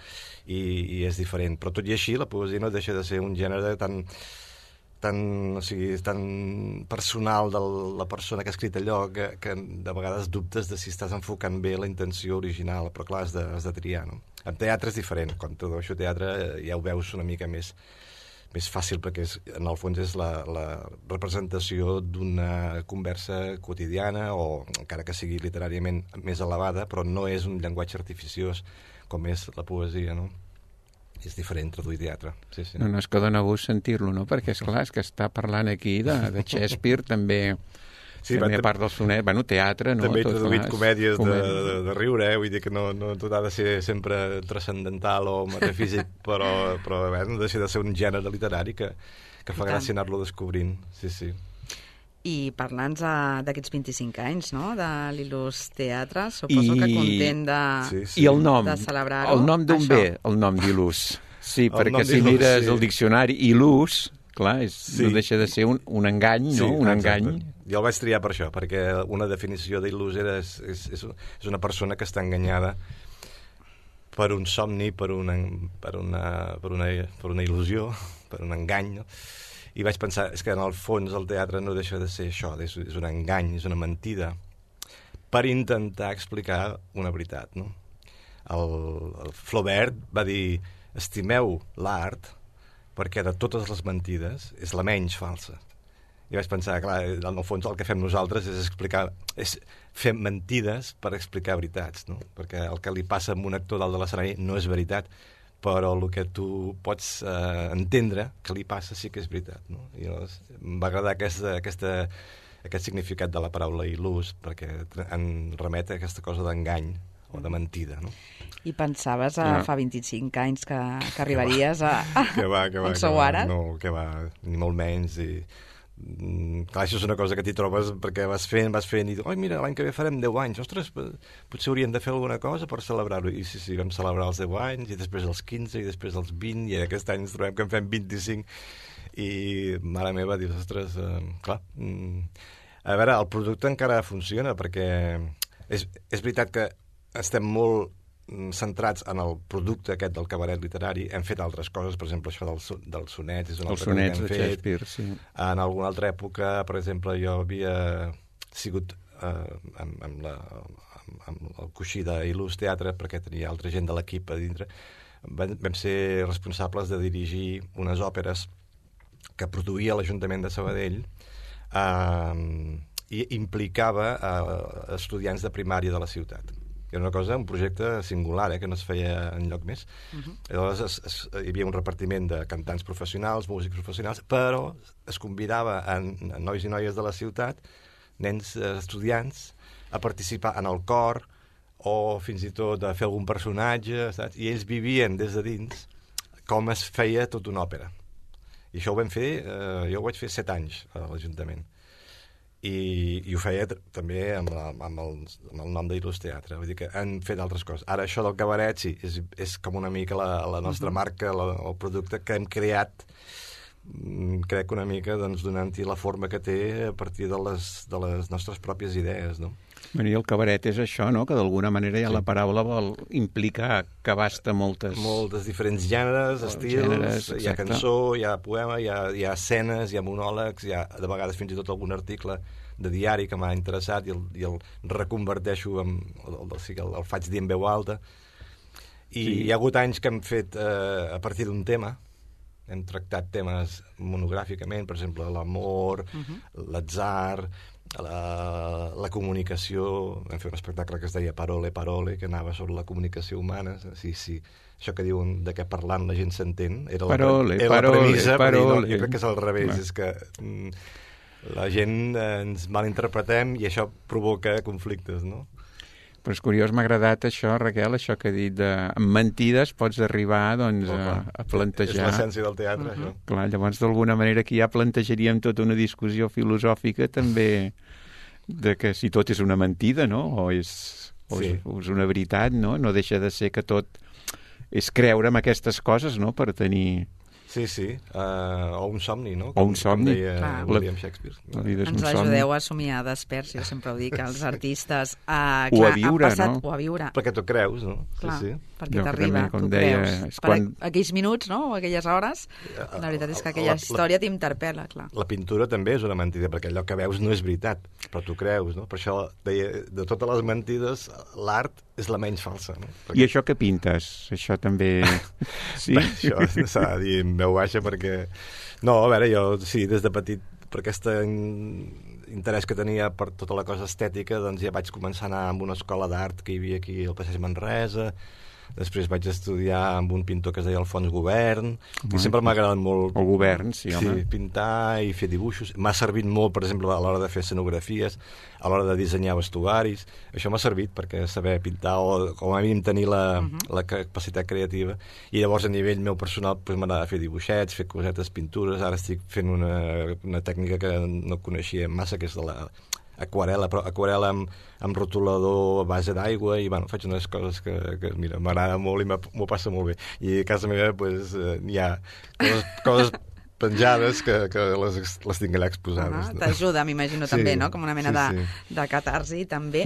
i és diferent. Però tot i així, la poesia no deixa de ser un gènere tan personal de la persona que ha escrit allò que de vegades dubtes de si estàs enfocant bé la intenció original, però clar, has de triar, no? En teatre és diferent, quan tradueixo teatre ja ho veus una mica més fàcil, perquè en el fons és la representació d'una conversa quotidiana, o encara que sigui literàriament més elevada, però no és un llenguatge artificiós com és la poesia, no? És diferent traduir teatre. Sí. No, és que dona gust sentir-lo, no? Perquè, esclar, és que està parlant aquí de Shakespeare, també a part del sonet, teatre, no? També he traduït comèdies de riure, vull dir que no tot ha de ser sempre transcendental o metafísic, però no deixa de ser un gènere literari que fa gràcia anar-lo descobrint. Sí. I parlant d'aquests 25 anys, no?, de l'Il·lus Teatre, suposo que content de celebrar-ho. El nom d'on ve, el nom d'Il·lus? Sí, perquè si mires el diccionari, Il·lus, clar, no deixa de ser un engany, no? Un engany. Jo el vaig triar per això, perquè una definició d'Il·lus és una persona que està enganyada per un somni, per una il·lusió, per un engany, no? I vaig pensar, és que en el fons el teatre no deixa de ser això, és un engany, és una mentida, per intentar explicar una veritat, no? El Flaubert va dir, estimeu l'art perquè de totes les mentides és la menys falsa. I vaig pensar, clar, en el fons el que fem nosaltres és fer mentides per explicar veritats, no? Perquè el que li passa a un actor dalt de l'escenari no és veritat, però el que tu pots entendre que li passa sí que és veritat, no? I llavors em va agradar aquest significat de la paraula il·lus, perquè en remet a aquesta cosa d'engany o de mentida, no? I pensaves fa 25 anys que arribaries a on sou ara? No, que va, ni molt menys, clar, això és una cosa que t'hi trobes perquè vas fent i dius, mira, l'any que ve farem 10 anys, ostres, potser hauríem de fer alguna cosa per celebrar-ho, i sí, vam celebrar els 10 anys, i després els 15, i després els 20, i aquest any ens trobem que en fem 25, i mare meva, dius, ostres, clar, a veure, el producte encara funciona, perquè és veritat que estem molt centrats en el producte aquest del cabaret literari. Hem fet altres coses, per exemple, això dels sonets, és una altra cosa que hem fet. Shakespeare, sí. En alguna altra època, per exemple, jo havia sigut amb el coixí d'Il·lus Teatre, perquè tenia altra gent de l'equip a dintre. Vam ser responsables de dirigir unes òperes que produïa l'Ajuntament de Sabadell i implicava estudiants de primària de la ciutat. Era una cosa, un projecte singular, que no es feia enlloc més. Llavors hi havia un repartiment de cantants professionals, músics professionals, però es convidava a nois i noies de la ciutat, nens estudiants, a participar en el cor o fins i tot a fer algun personatge, saps? I ells vivien des de dins com es feia tota una òpera. I això ho vam fer, jo ho vaig fer 7 anys a l'Ajuntament. I ho feia també amb el nom d'Il·lus Teatre, vull dir que han fet altres coses. Ara això del cabaret sí, és com una mica la nostra marca, el producte que hem creat crec una mica donant-hi la forma que té a partir de les nostres pròpies idees, no? I el cabaret és això, no?, que d'alguna manera ja la paraula vol implicar que abasta moltes diferents gèneres, estils, hi ha cançó, hi ha poema, hi ha escenes, hi ha monòlegs, hi ha de vegades fins i tot algun article de diari que m'ha interessat i el reconverteixo, el faig dir en veu alta. I hi ha hagut anys que hem fet a partir d'un tema, hem tractat temes monogràficament, per exemple, l'amor, l'atzar, la comunicació. Vam fer un espectacle que es deia Parole, Parole, que anava sobre la comunicació humana. Sí, això que diuen de què parlant la gent s'entén, era la premissa, jo crec que és al revés, és que la gent ens malinterpretem i això provoca conflictes, no? Però és curiós, m'ha agradat això, Raquel, això que he dit de amb mentides pots arribar doncs, a plantejar... És l'essència del teatre, això. Clar, llavors d'alguna manera aquí ja plantejaríem tota una discussió filosòfica també de que si tot és una mentida, no? O és una veritat, no? No deixa de ser que tot és creure en aquestes coses, no?, per tenir... Sí, o un somni, no? O un somni. Com deia William Shakespeare. Ens ajudeu a somiar desperts, jo sempre ho dic als artistes. O a viure, no? O a viure. Perquè t'ho creus, no? Clar, perquè t'arriba, t'ho creus. Per aquells minuts, no?, o aquelles hores, la veritat és que aquella història t'interpel·la, clar. La pintura també és una mentida, perquè allò que veus no és veritat, però t'ho creus, no? Per això deia, de totes les mentides, l'art és la menys falsa, no? I això que pintes? Això també... Sí? Això s'ha de dir en veu baixa perquè... No, a veure, jo, sí, des de petit, per aquest interès que tenia per tota la cosa estètica, doncs ja vaig començar a anar a una escola d'art que hi havia aquí al Passeig Manresa. Després vaig estudiar amb un pintor que es deia Alfons Govern, i sempre m'ha agradat molt... El Govern, sí, home. Sí, pintar i fer dibuixos. M'ha servit molt, per exemple, a l'hora de fer escenografies, a l'hora de dissenyar vestuaris. Això m'ha servit perquè saber pintar o com a mínim tenir la capacitat creativa. I llavors, a nivell meu personal, doncs, m'agrada fer dibuixets, fer cosetes, pintures. Ara estic fent una tècnica que no coneixia massa, que és de aquarel·la, però aquarel·la amb rotulador a base d'aigua, i bueno, faig unes coses que mira, m'agrada molt i m'ho passa molt bé. I a casa meva pues, hi ha coses penjades que les tinc allà exposades. No? T'ajuda, m'imagino, també, no? Com una mena de catarsi, també.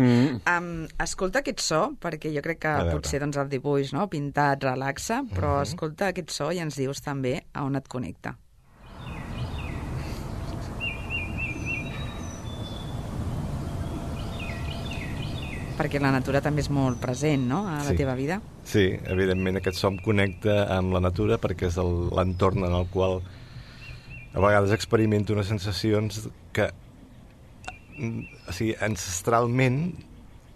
Escolta aquest so, perquè jo crec que potser doncs, el dibuix, no?, pintat, relaxa, però escolta aquest so i ens dius també a on et connecta. Perquè la natura també és molt present, no?, a la teva vida. Sí, evidentment aquest so em connecta amb la natura perquè és l'entorn en el qual a vegades experimento unes sensacions que, o sigui, ancestralment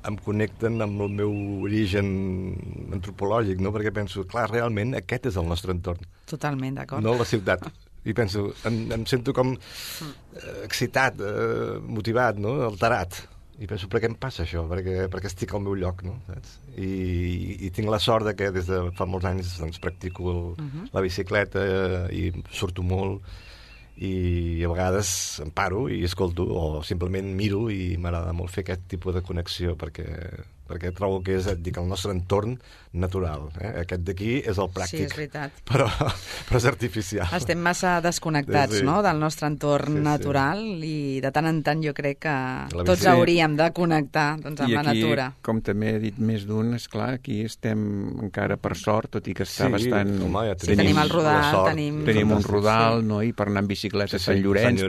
em connecten amb el meu origen antropològic, no?, perquè penso, clar, realment aquest és el nostre entorn. Totalment, d'acord. No la ciutat. I penso, em sento com excitat, motivat, no?, alterat. I penso, per què em passa això? Perquè estic al meu lloc, no? Saps? I tinc la sort de que des de fa molts anys doncs, practico la bicicleta i surto molt i a vegades em paro i escolto o simplement miro i m'agrada molt fer aquest tipus de connexió perquè trobo que és, el nostre entorn natural. Aquest d'aquí és el pràctic. Sí, és veritat. Però és artificial. Estem massa desconnectats, no?, del nostre entorn natural i de tant en tant jo crec que tots hauríem de connectar doncs, amb la natura. I aquí, com també he dit més d'un, esclar, aquí estem encara per sort, tot i que està bastant... Home, ja tenim el rodal, tenim un rodal, no?, i per anar en bicicleta a Sant Llorenç,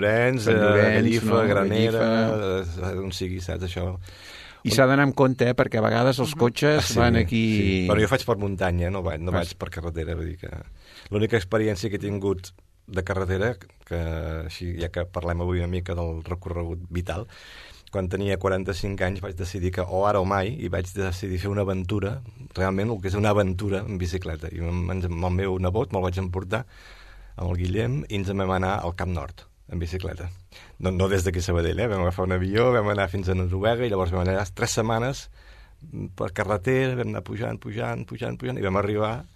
Gallifa, Granera, on sigui, saps, això... I s'ha d'anar amb compte, perquè a vegades els cotxes van aquí... Sí. Bueno, jo faig per muntanya, no vaig per carretera. Vull dir que l'única experiència que he tingut de carretera, que així, ja que parlem avui una mica del recorregut vital, quan tenia 45 anys vaig decidir que o ara o mai, i vaig decidir fer una aventura, realment el que és una aventura en bicicleta. I amb el meu nebot me'l vaig emportar amb el Guillem i ens vam anar al Camp Nord en bicicleta. No des d'aquí a Sabadell, vam agafar un avió, vam anar fins a Noruega i llavors vam anar 3 setmanes per carretera, vam anar pujant i vam arribar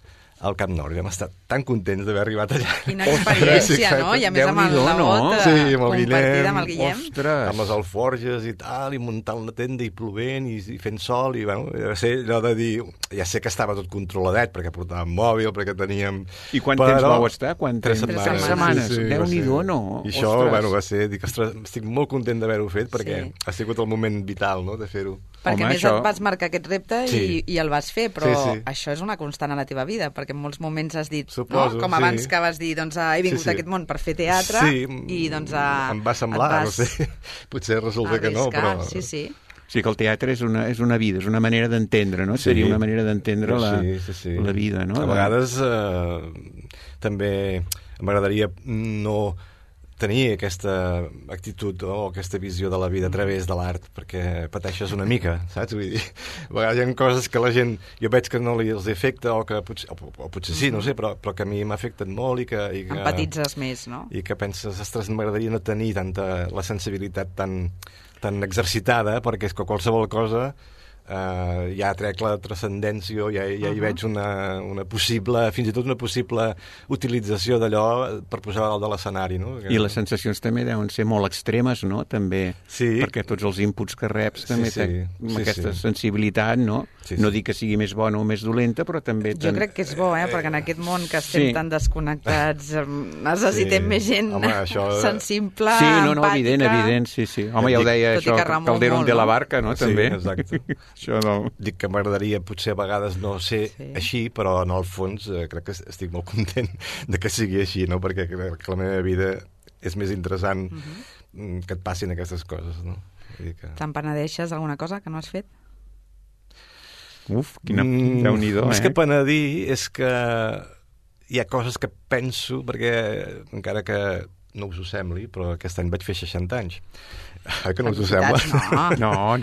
al Camp Nou. Vam estar tan contents d'haver arribat allà. Quina experiència, no? I a més amb el nebot compartida amb el Guillem. Ostres! Amb les alforges i tal, i muntant la tenda i plovent i fent sol, i bueno, va ser allò de dir... Ja sé que estava tot controladet, perquè portàvem mòbil, perquè teníem... I quant temps vau estar? 3 setmanes. Sí, Déu-n'hi-do, no? I això, bueno, va ser... Dic, ostres, estic molt content d'haver-ho fet, perquè ha sigut el moment vital, no?, de fer-ho. Perquè a més et vas marcar aquest repte i el vas fer, però això és una constant a la teva vida, perquè en molts moments has dit, suposo, com abans que vas dir, doncs he vingut a aquest món per fer teatre, i doncs em va semblar, no sé, potser resulta que no, però... Sí, que el teatre és una vida, és una manera d'entendre, no? Seria una manera d'entendre la vida, no? A vegades també m'agradaria no tenir aquesta actitud o aquesta visió de la vida a través de l'art, perquè pateixes una mica, saps? Vull dir, a vegades hi ha coses que la gent, jo veig que no els afecta, o potser sí, no sé, però que a mi m'ha afectat molt i que... Empatitzes més, no? I que penses, ostres, m'agradaria no tenir la sensibilitat tan exercitada, perquè és que qualsevol cosa ja trec la transcendència, ja hi veig una possible, fins i tot una possible utilització d'allò per posar dalt de l'escenari, no? I les sensacions també deuen ser molt extremes, no? També, perquè tots els inputs que reps també amb aquesta sensibilitat, no? No dic que sigui més bona o més dolenta, però també... Jo crec que és bo, perquè en aquest món que estem tan desconnectats necessitem més gent sensible, empàtica... Evident, sí. Home, ja ho deia això, Calderón de la Barca, no? També. Sí, exacte. Això no. Dic que m'agradaria potser a vegades no ser així, però en el fons crec que estic molt content de que sigui així, no? Perquè crec que la meva vida és més interessant que et passin aquestes coses, no? Te'n penedeixes alguna cosa que no has fet? Uf, quina Déu-n'hi-do, Més que penedir és que hi ha coses que penso, perquè encara que no us ho sembli, però aquest any vaig fer 60 anys. Que no us ho sembla? No.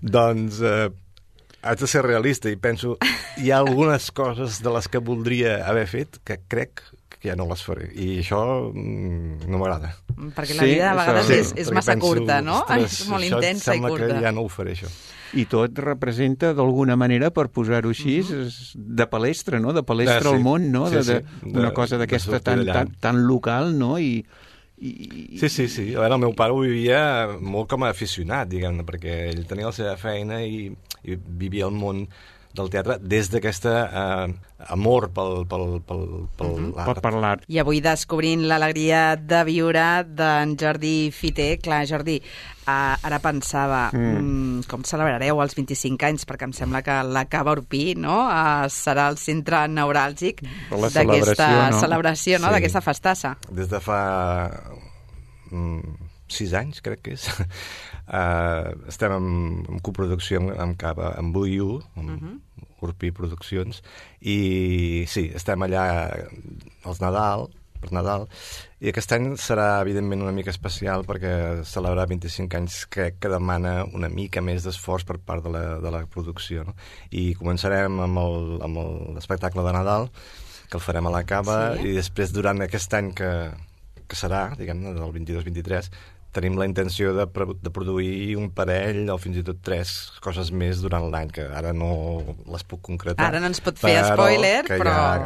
Doncs haig de ser realista i penso hi ha algunes coses de les que voldria haver fet que crec que ja no les faré. I això no m'agrada. Perquè la vida a vegades és massa curta, no? És molt intensa i curta. Sembla que ja no ho faré, això. I tot representa, d'alguna manera, per posar-ho així, de palestra, no? De palestra al món, no? Una cosa d'aquesta tan local, no? Sí. A veure, el meu pare ho vivia molt com a aficionat, diguem-ne, perquè ell tenia la seva feina i vivia el món del teatre des d'aquesta amor per l'art. I avui descobrint l'alegria de viure d'en Jordi Fiter. Clar, Jordi, ara pensava com celebrareu els 25 anys, perquè em sembla que la Cava Orpí, no? Serà el centre neuràlgic d'aquesta celebració, no? D'aquesta festassa. Des de fa 6 anys, crec que és. Estem en coproducció amb Cava, amb VU, amb Orpí Produccions, i sí, estem allà per Nadal, i aquest any serà evidentment una mica especial perquè celebrar 25 anys crec que demana una mica més d'esforç per part de la producció, no? I començarem amb l'espectacle de Nadal, que el farem a la Cava, i després durant aquest any que serà, diguem-ne, del 22-23, tenim la intenció de produir un parell o fins i tot 3 coses més durant l'any, que ara no les puc concretar. Ara no ens pot fer spoiler, però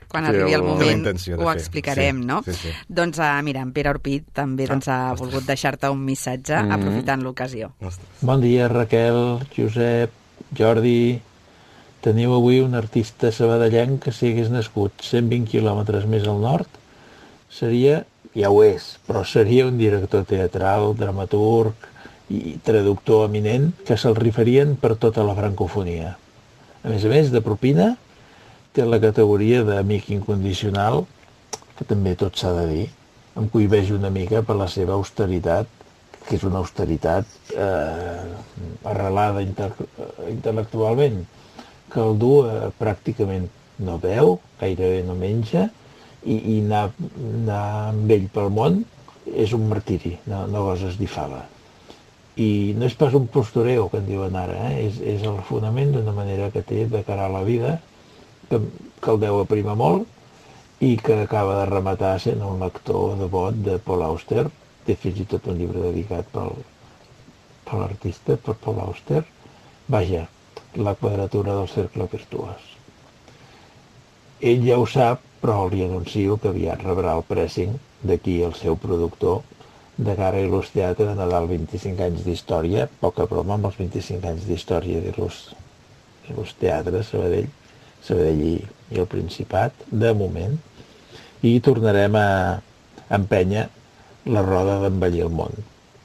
quan arribi el moment ho explicarem, no? Sí. Doncs mira, en Pere Orpí també ha volgut deixar-te un missatge aprofitant l'ocasió. Bon dia, Raquel, Josep, Jordi. Teniu avui un artista sabadellenc que si hagués nascut 120 quilòmetres més al nord seria... ja ho és, però seria un director teatral, dramaturg i traductor eminent que se'l rifarien per tota la francofonia. A més, de propina, té la categoria d'amic incondicional, que també tot s'ha de dir, em cohibeix una mica per la seva austeritat, que és una austeritat arrelada intel·lectualment, que el du pràcticament no veu, gairebé no menja, i anar amb ell pel món és un martiri, no goses dir fava. I no és pas un postureo, que en diuen ara, és el fonament d'una manera que té de cara a la vida, que el deu aprimar molt i que acaba de rematar sent un lector devot de Paul Auster. Té fins i tot un llibre dedicat per l'artista, per Paul Auster. Vaja, la quadratura del cercle virtuós. ell ja ho sap, però li anuncio que aviat rebrà el pressing d'aquí el seu productor de cara a Il·lus Teatre de Nadal 25 anys d'història, poca broma amb els 25 anys d'història d'Il·lus Teatre, Sabadell i el Principat, de moment, i tornarem a empènyer la roda d'Embellir el món.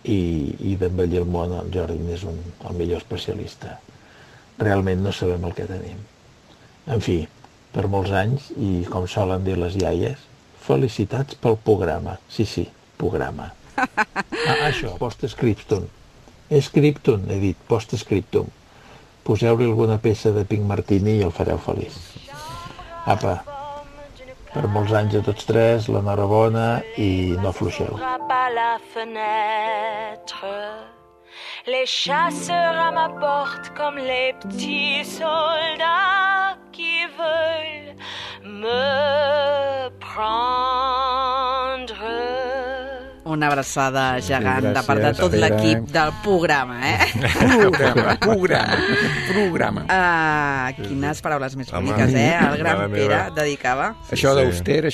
I d'Embellir el món el Jordi és el millor especialista. Realment no sabem el que tenim. En fi, per molts anys, i com solen dir les iaies, felicitats pel programa. Sí, programa. Això, post-scriptum. Scriptum, he dit, post-scriptum. Poseu-li alguna peça de Pink Martini i el fareu feliç. Apa, per molts anys a tots tres, l'enhorabona i no afluixeu. Les chasseurs à ma porte comme les petits soldats qui veulent me prendre. Una abraçada gegant de part de tot l'equip del programa, Programa. Quines paraules més boniques, el gran Pere dedicava. Això d'auster,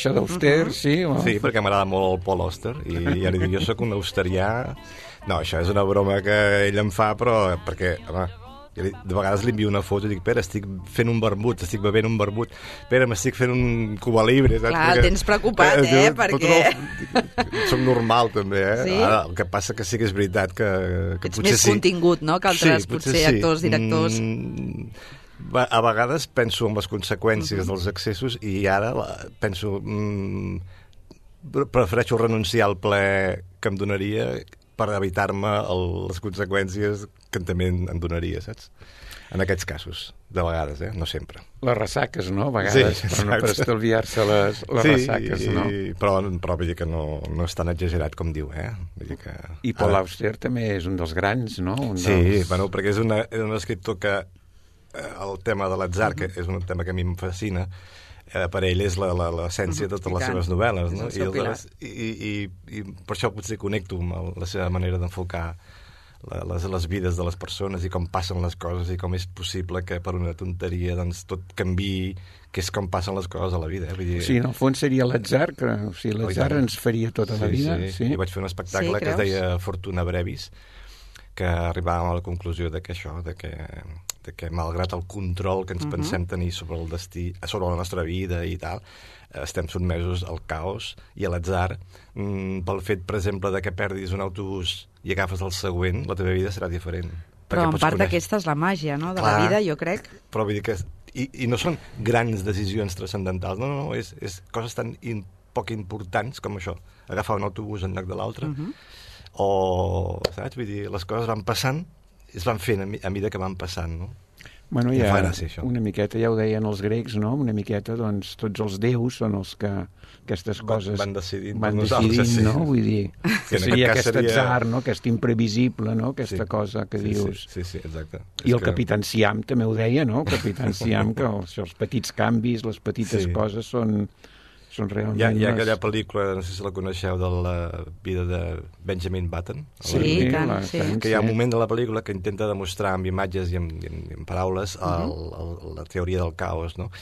sí. Sí, perquè m'agrada molt el Paul Auster, i ja li dic, jo sóc un austerià. No, això és una broma que ell em fa, però perquè, home, de vegades li envio una foto i dic, Pere, estic fent un vermut, estic bevent un vermut, Pere, m'estic fent un Cuba Libre, saps? Clar, el tens preocupat, perquè... Soc normal, també, Sí? Ara, el que passa que sí que és veritat que Ets potser més contingut, no?, que altres, potser actors, directors... A vegades penso en les conseqüències dels excessos i ara penso... prefereixo renunciar al ple que em donaria per evitar-me les conseqüències que també em donaria, saps? En aquests casos, de vegades, no sempre. Les ressaques, no? A vegades, sí, però no per estalviar-se les ressaques, no? Però vull dir que no és tan exagerat com diu, Vull dir que... I Paul Auster també és un dels grans, no? Sí, bueno, perquè és un escriptor que el tema de l'atzar, que és un tema que a mi em fascina, per ell és l'essència de totes les seves novel·les, no? I per això potser connecto amb la seva manera d'enfocar les vides de les persones i com passen les coses i com és possible que per una tonteria doncs tot canviï, que és com passen les coses a la vida. Vull dir... Sí, en el fons seria l'atzar, que l'atzar ens faria tota la vida. Sí. Jo vaig fer un espectacle que es deia Fortuna Brevis, que arribàvem a la conclusió de que això, de que malgrat el control que ens pensem tenir sobre el destí, sobre la nostra vida i tal, estem sotmesos al caos i a l'atzar. Pel fet, per exemple, de que perdis un autobús i agafes el següent, la teva vida serà diferent. Però en part d'aquesta és la màgia, no?, de la vida, jo crec. Però vull dir que... I no són grans decisions transcendentals, no, és coses tan poc importants com això, agafar un autobús en lloc de l'altre, o, saps? Vull dir, les coses van passant, es van fent a mida que van passant, no? Bueno, ja una miqueta, ja ho deien els grecs, no? Una miqueta, doncs, tots els déus són els que aquestes coses van decidint, no? Vull dir, que seria aquest atzar, no? Aquest imprevisible, no? Aquesta cosa que dius... Sí, exacte. I el Capitán Siam també ho deia, no? El Capitán Siam, que els petits canvis, les petites coses són realment... Hi ha aquella pel·lícula, no sé si la coneixeu, de la vida de Benjamin Button. Sí, tant. Que hi ha un moment de la pel·lícula que intenta demostrar amb imatges i amb paraules la teoria del caos, no?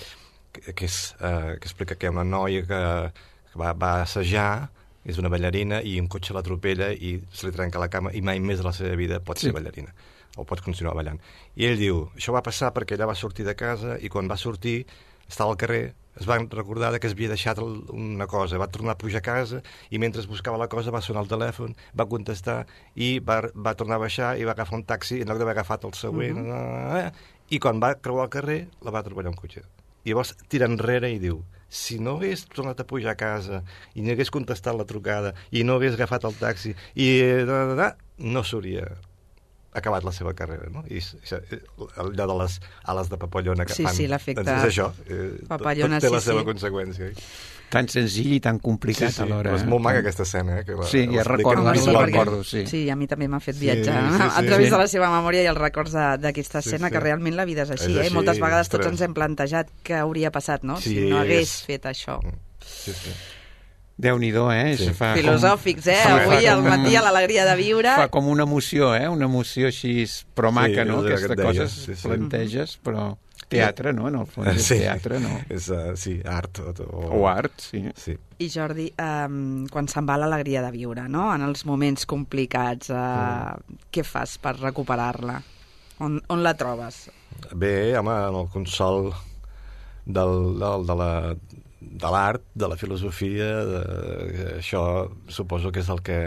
Que explica que hi ha una noia que va assajar, és una ballarina, i un cotxe l'atropella i se li trenca la cama i mai més a la seva vida pot ser ballarina o pot continuar ballant. I ell diu, això va passar perquè ella va sortir de casa i quan va sortir estava al carrer, es va recordar que es havia deixat una cosa, va tornar a pujar a casa i mentre buscava la cosa va sonar el telèfon, va contestar i va tornar a baixar i va agafar un taxi en lloc d'haver agafat el següent i quan va creuar el carrer la va atropellar un cotxe. I llavors tira enrere i diu, si no hagués tornat a pujar a casa i no hagués contestat la trucada i no hagués agafat el taxi i no s'hauria acabat la seva carrera, no? I allò de les ales de papallona que fan... Sí, l'efecte doncs és això, papallona, tot té la seva conseqüència. Tan senzill i tan complicat alhora. És molt maca aquesta escena. Sí, ja recordo. Sí, a mi també m'ha fet viatjar a través de la seva memòria i els records d'aquesta escena, que realment la vida és així, i moltes vegades tots ens hem plantejat què hauria passat, no?, si no hagués fet això. Sí. Déu-n'hi-do, filosòfics, avui al matí a l'alegria de viure. Fa com una emoció, una emoció així, però maca, no? Aquestes coses planteges, però... Teatre, no? En el fons és teatre, no? Sí, art. O art, sí. I Jordi, quan se'n va l'alegria de viure, no? En els moments complicats, què fas per recuperar-la? On la trobes? Bé, home, en el consol de l'art, de la filosofia, això suposo que és el que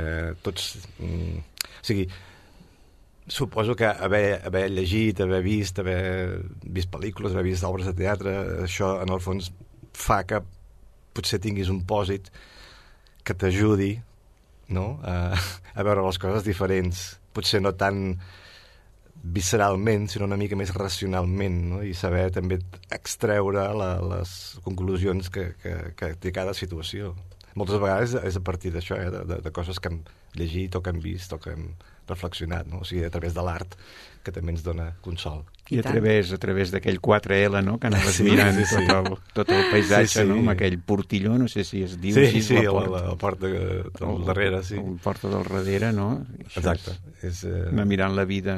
tots... O sigui, suposo que haver llegit, haver vist pel·lícules, haver vist obres de teatre, això en el fons fa que potser tinguis un pòsit que t'ajudi, no? A veure les coses diferents, potser no tan visceralment, sinó una mica més racionalment, no? I saber també extreure les conclusions que té cada situació. Moltes vegades és a partir d'això, de coses que hem llegit o que hem vist o que hem reflexionat, no? O sigui, a través de l'art, que també ens dona consol. I a través d'aquell 4L, no?, que anaves mirant tot el paisatge, no?, amb aquell portilló, no sé si es diu així, la porta del darrere, sí. La porta del darrere, no? Exacte. Anar mirant la vida,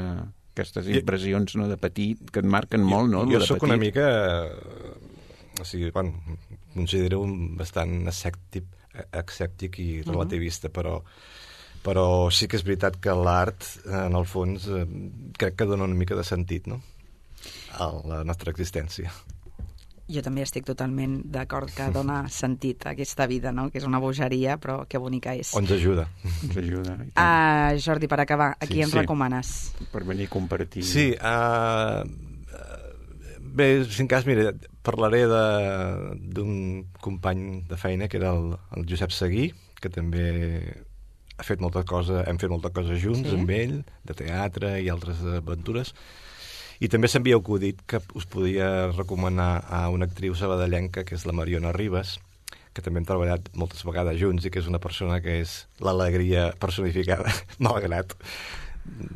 aquestes impressions, no?, de petit, que et marquen molt, no?, jo soc una mica... O sigui, considero bastant escèptic i relativista, però sí que és veritat que l'art, en el fons, crec que dona una mica de sentit, no?, a la nostra existència. Jo també estic totalment d'acord que dona sentit a aquesta vida, no?, que és una bogeria, però que bonica és. Ens ajuda. Ens ajuda. Jordi, per acabar, a qui ens recomanes? Per venir a compartir. Sí, bé, si en cas, mira, parlaré d'un company de feina, que era el Josep Seguí, que també hem fet molta cosa junts amb ell, de teatre i altres aventures, i també s'havia acudit que us podia recomanar a una actriu sabadellenca, que és la Mariona Ribas, que també hem treballat moltes vegades junts i que és una persona que és l'alegria personificada, malgrat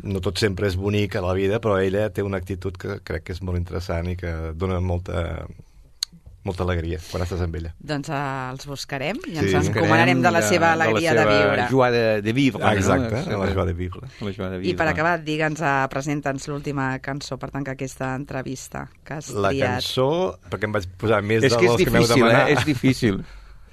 no tot sempre és bonic a la vida, però ella té una actitud que crec que és molt interessant i que dona molta alegria quan estàs amb ella. Doncs els buscarem i ens encomanarem de la seva alegria de viure. De la joie de vivre. Exacte, la joie de vivre. I per acabar, presenta'ns l'última cançó per tancar aquesta entrevista que has triat. La cançó, perquè em vaig posar més dels que m'heu És demanat. que és difícil,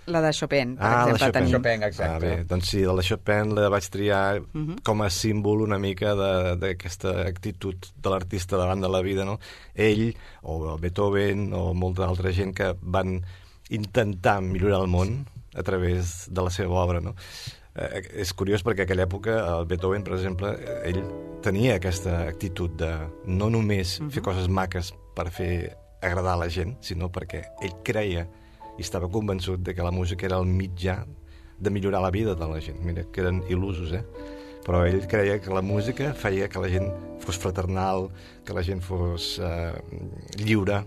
La de Chopin, per exemple. La Chopin, exacte. Bé, doncs sí, la de Chopin la vaig triar com a símbol una mica d'aquesta actitud de l'artista davant de la vida, no? Ell, o Beethoven, o molta altra gent que van intentar millorar el món a través de la seva obra, no? És curiós perquè a aquella època el Beethoven, per exemple, ell tenia aquesta actitud de no només fer coses maques per fer agradar a la gent, sinó perquè ell creia i estava convençut de que la música era el mitjà de millorar la vida de la gent. Mira, que eren il·lusos, Però ell creia que la música feia que la gent fos fraternal, que la gent fos lliure.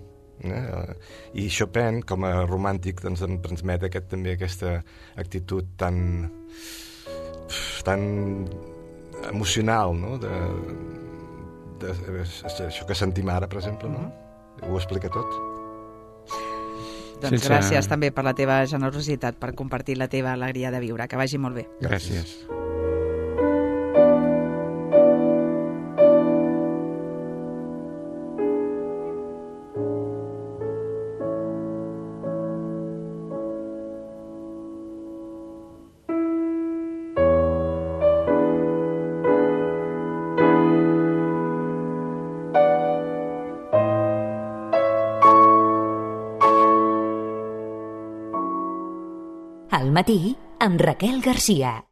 I Chopin, com a romàntic, ens transmet també aquesta actitud tan emocional, no? Això que sentim ara, per exemple, no? Ho explica tot. Doncs gràcies també per la teva generositat, per compartir la teva alegria de viure. Que vagi molt bé. Gràcies. Al matí, amb Raquel Garcia.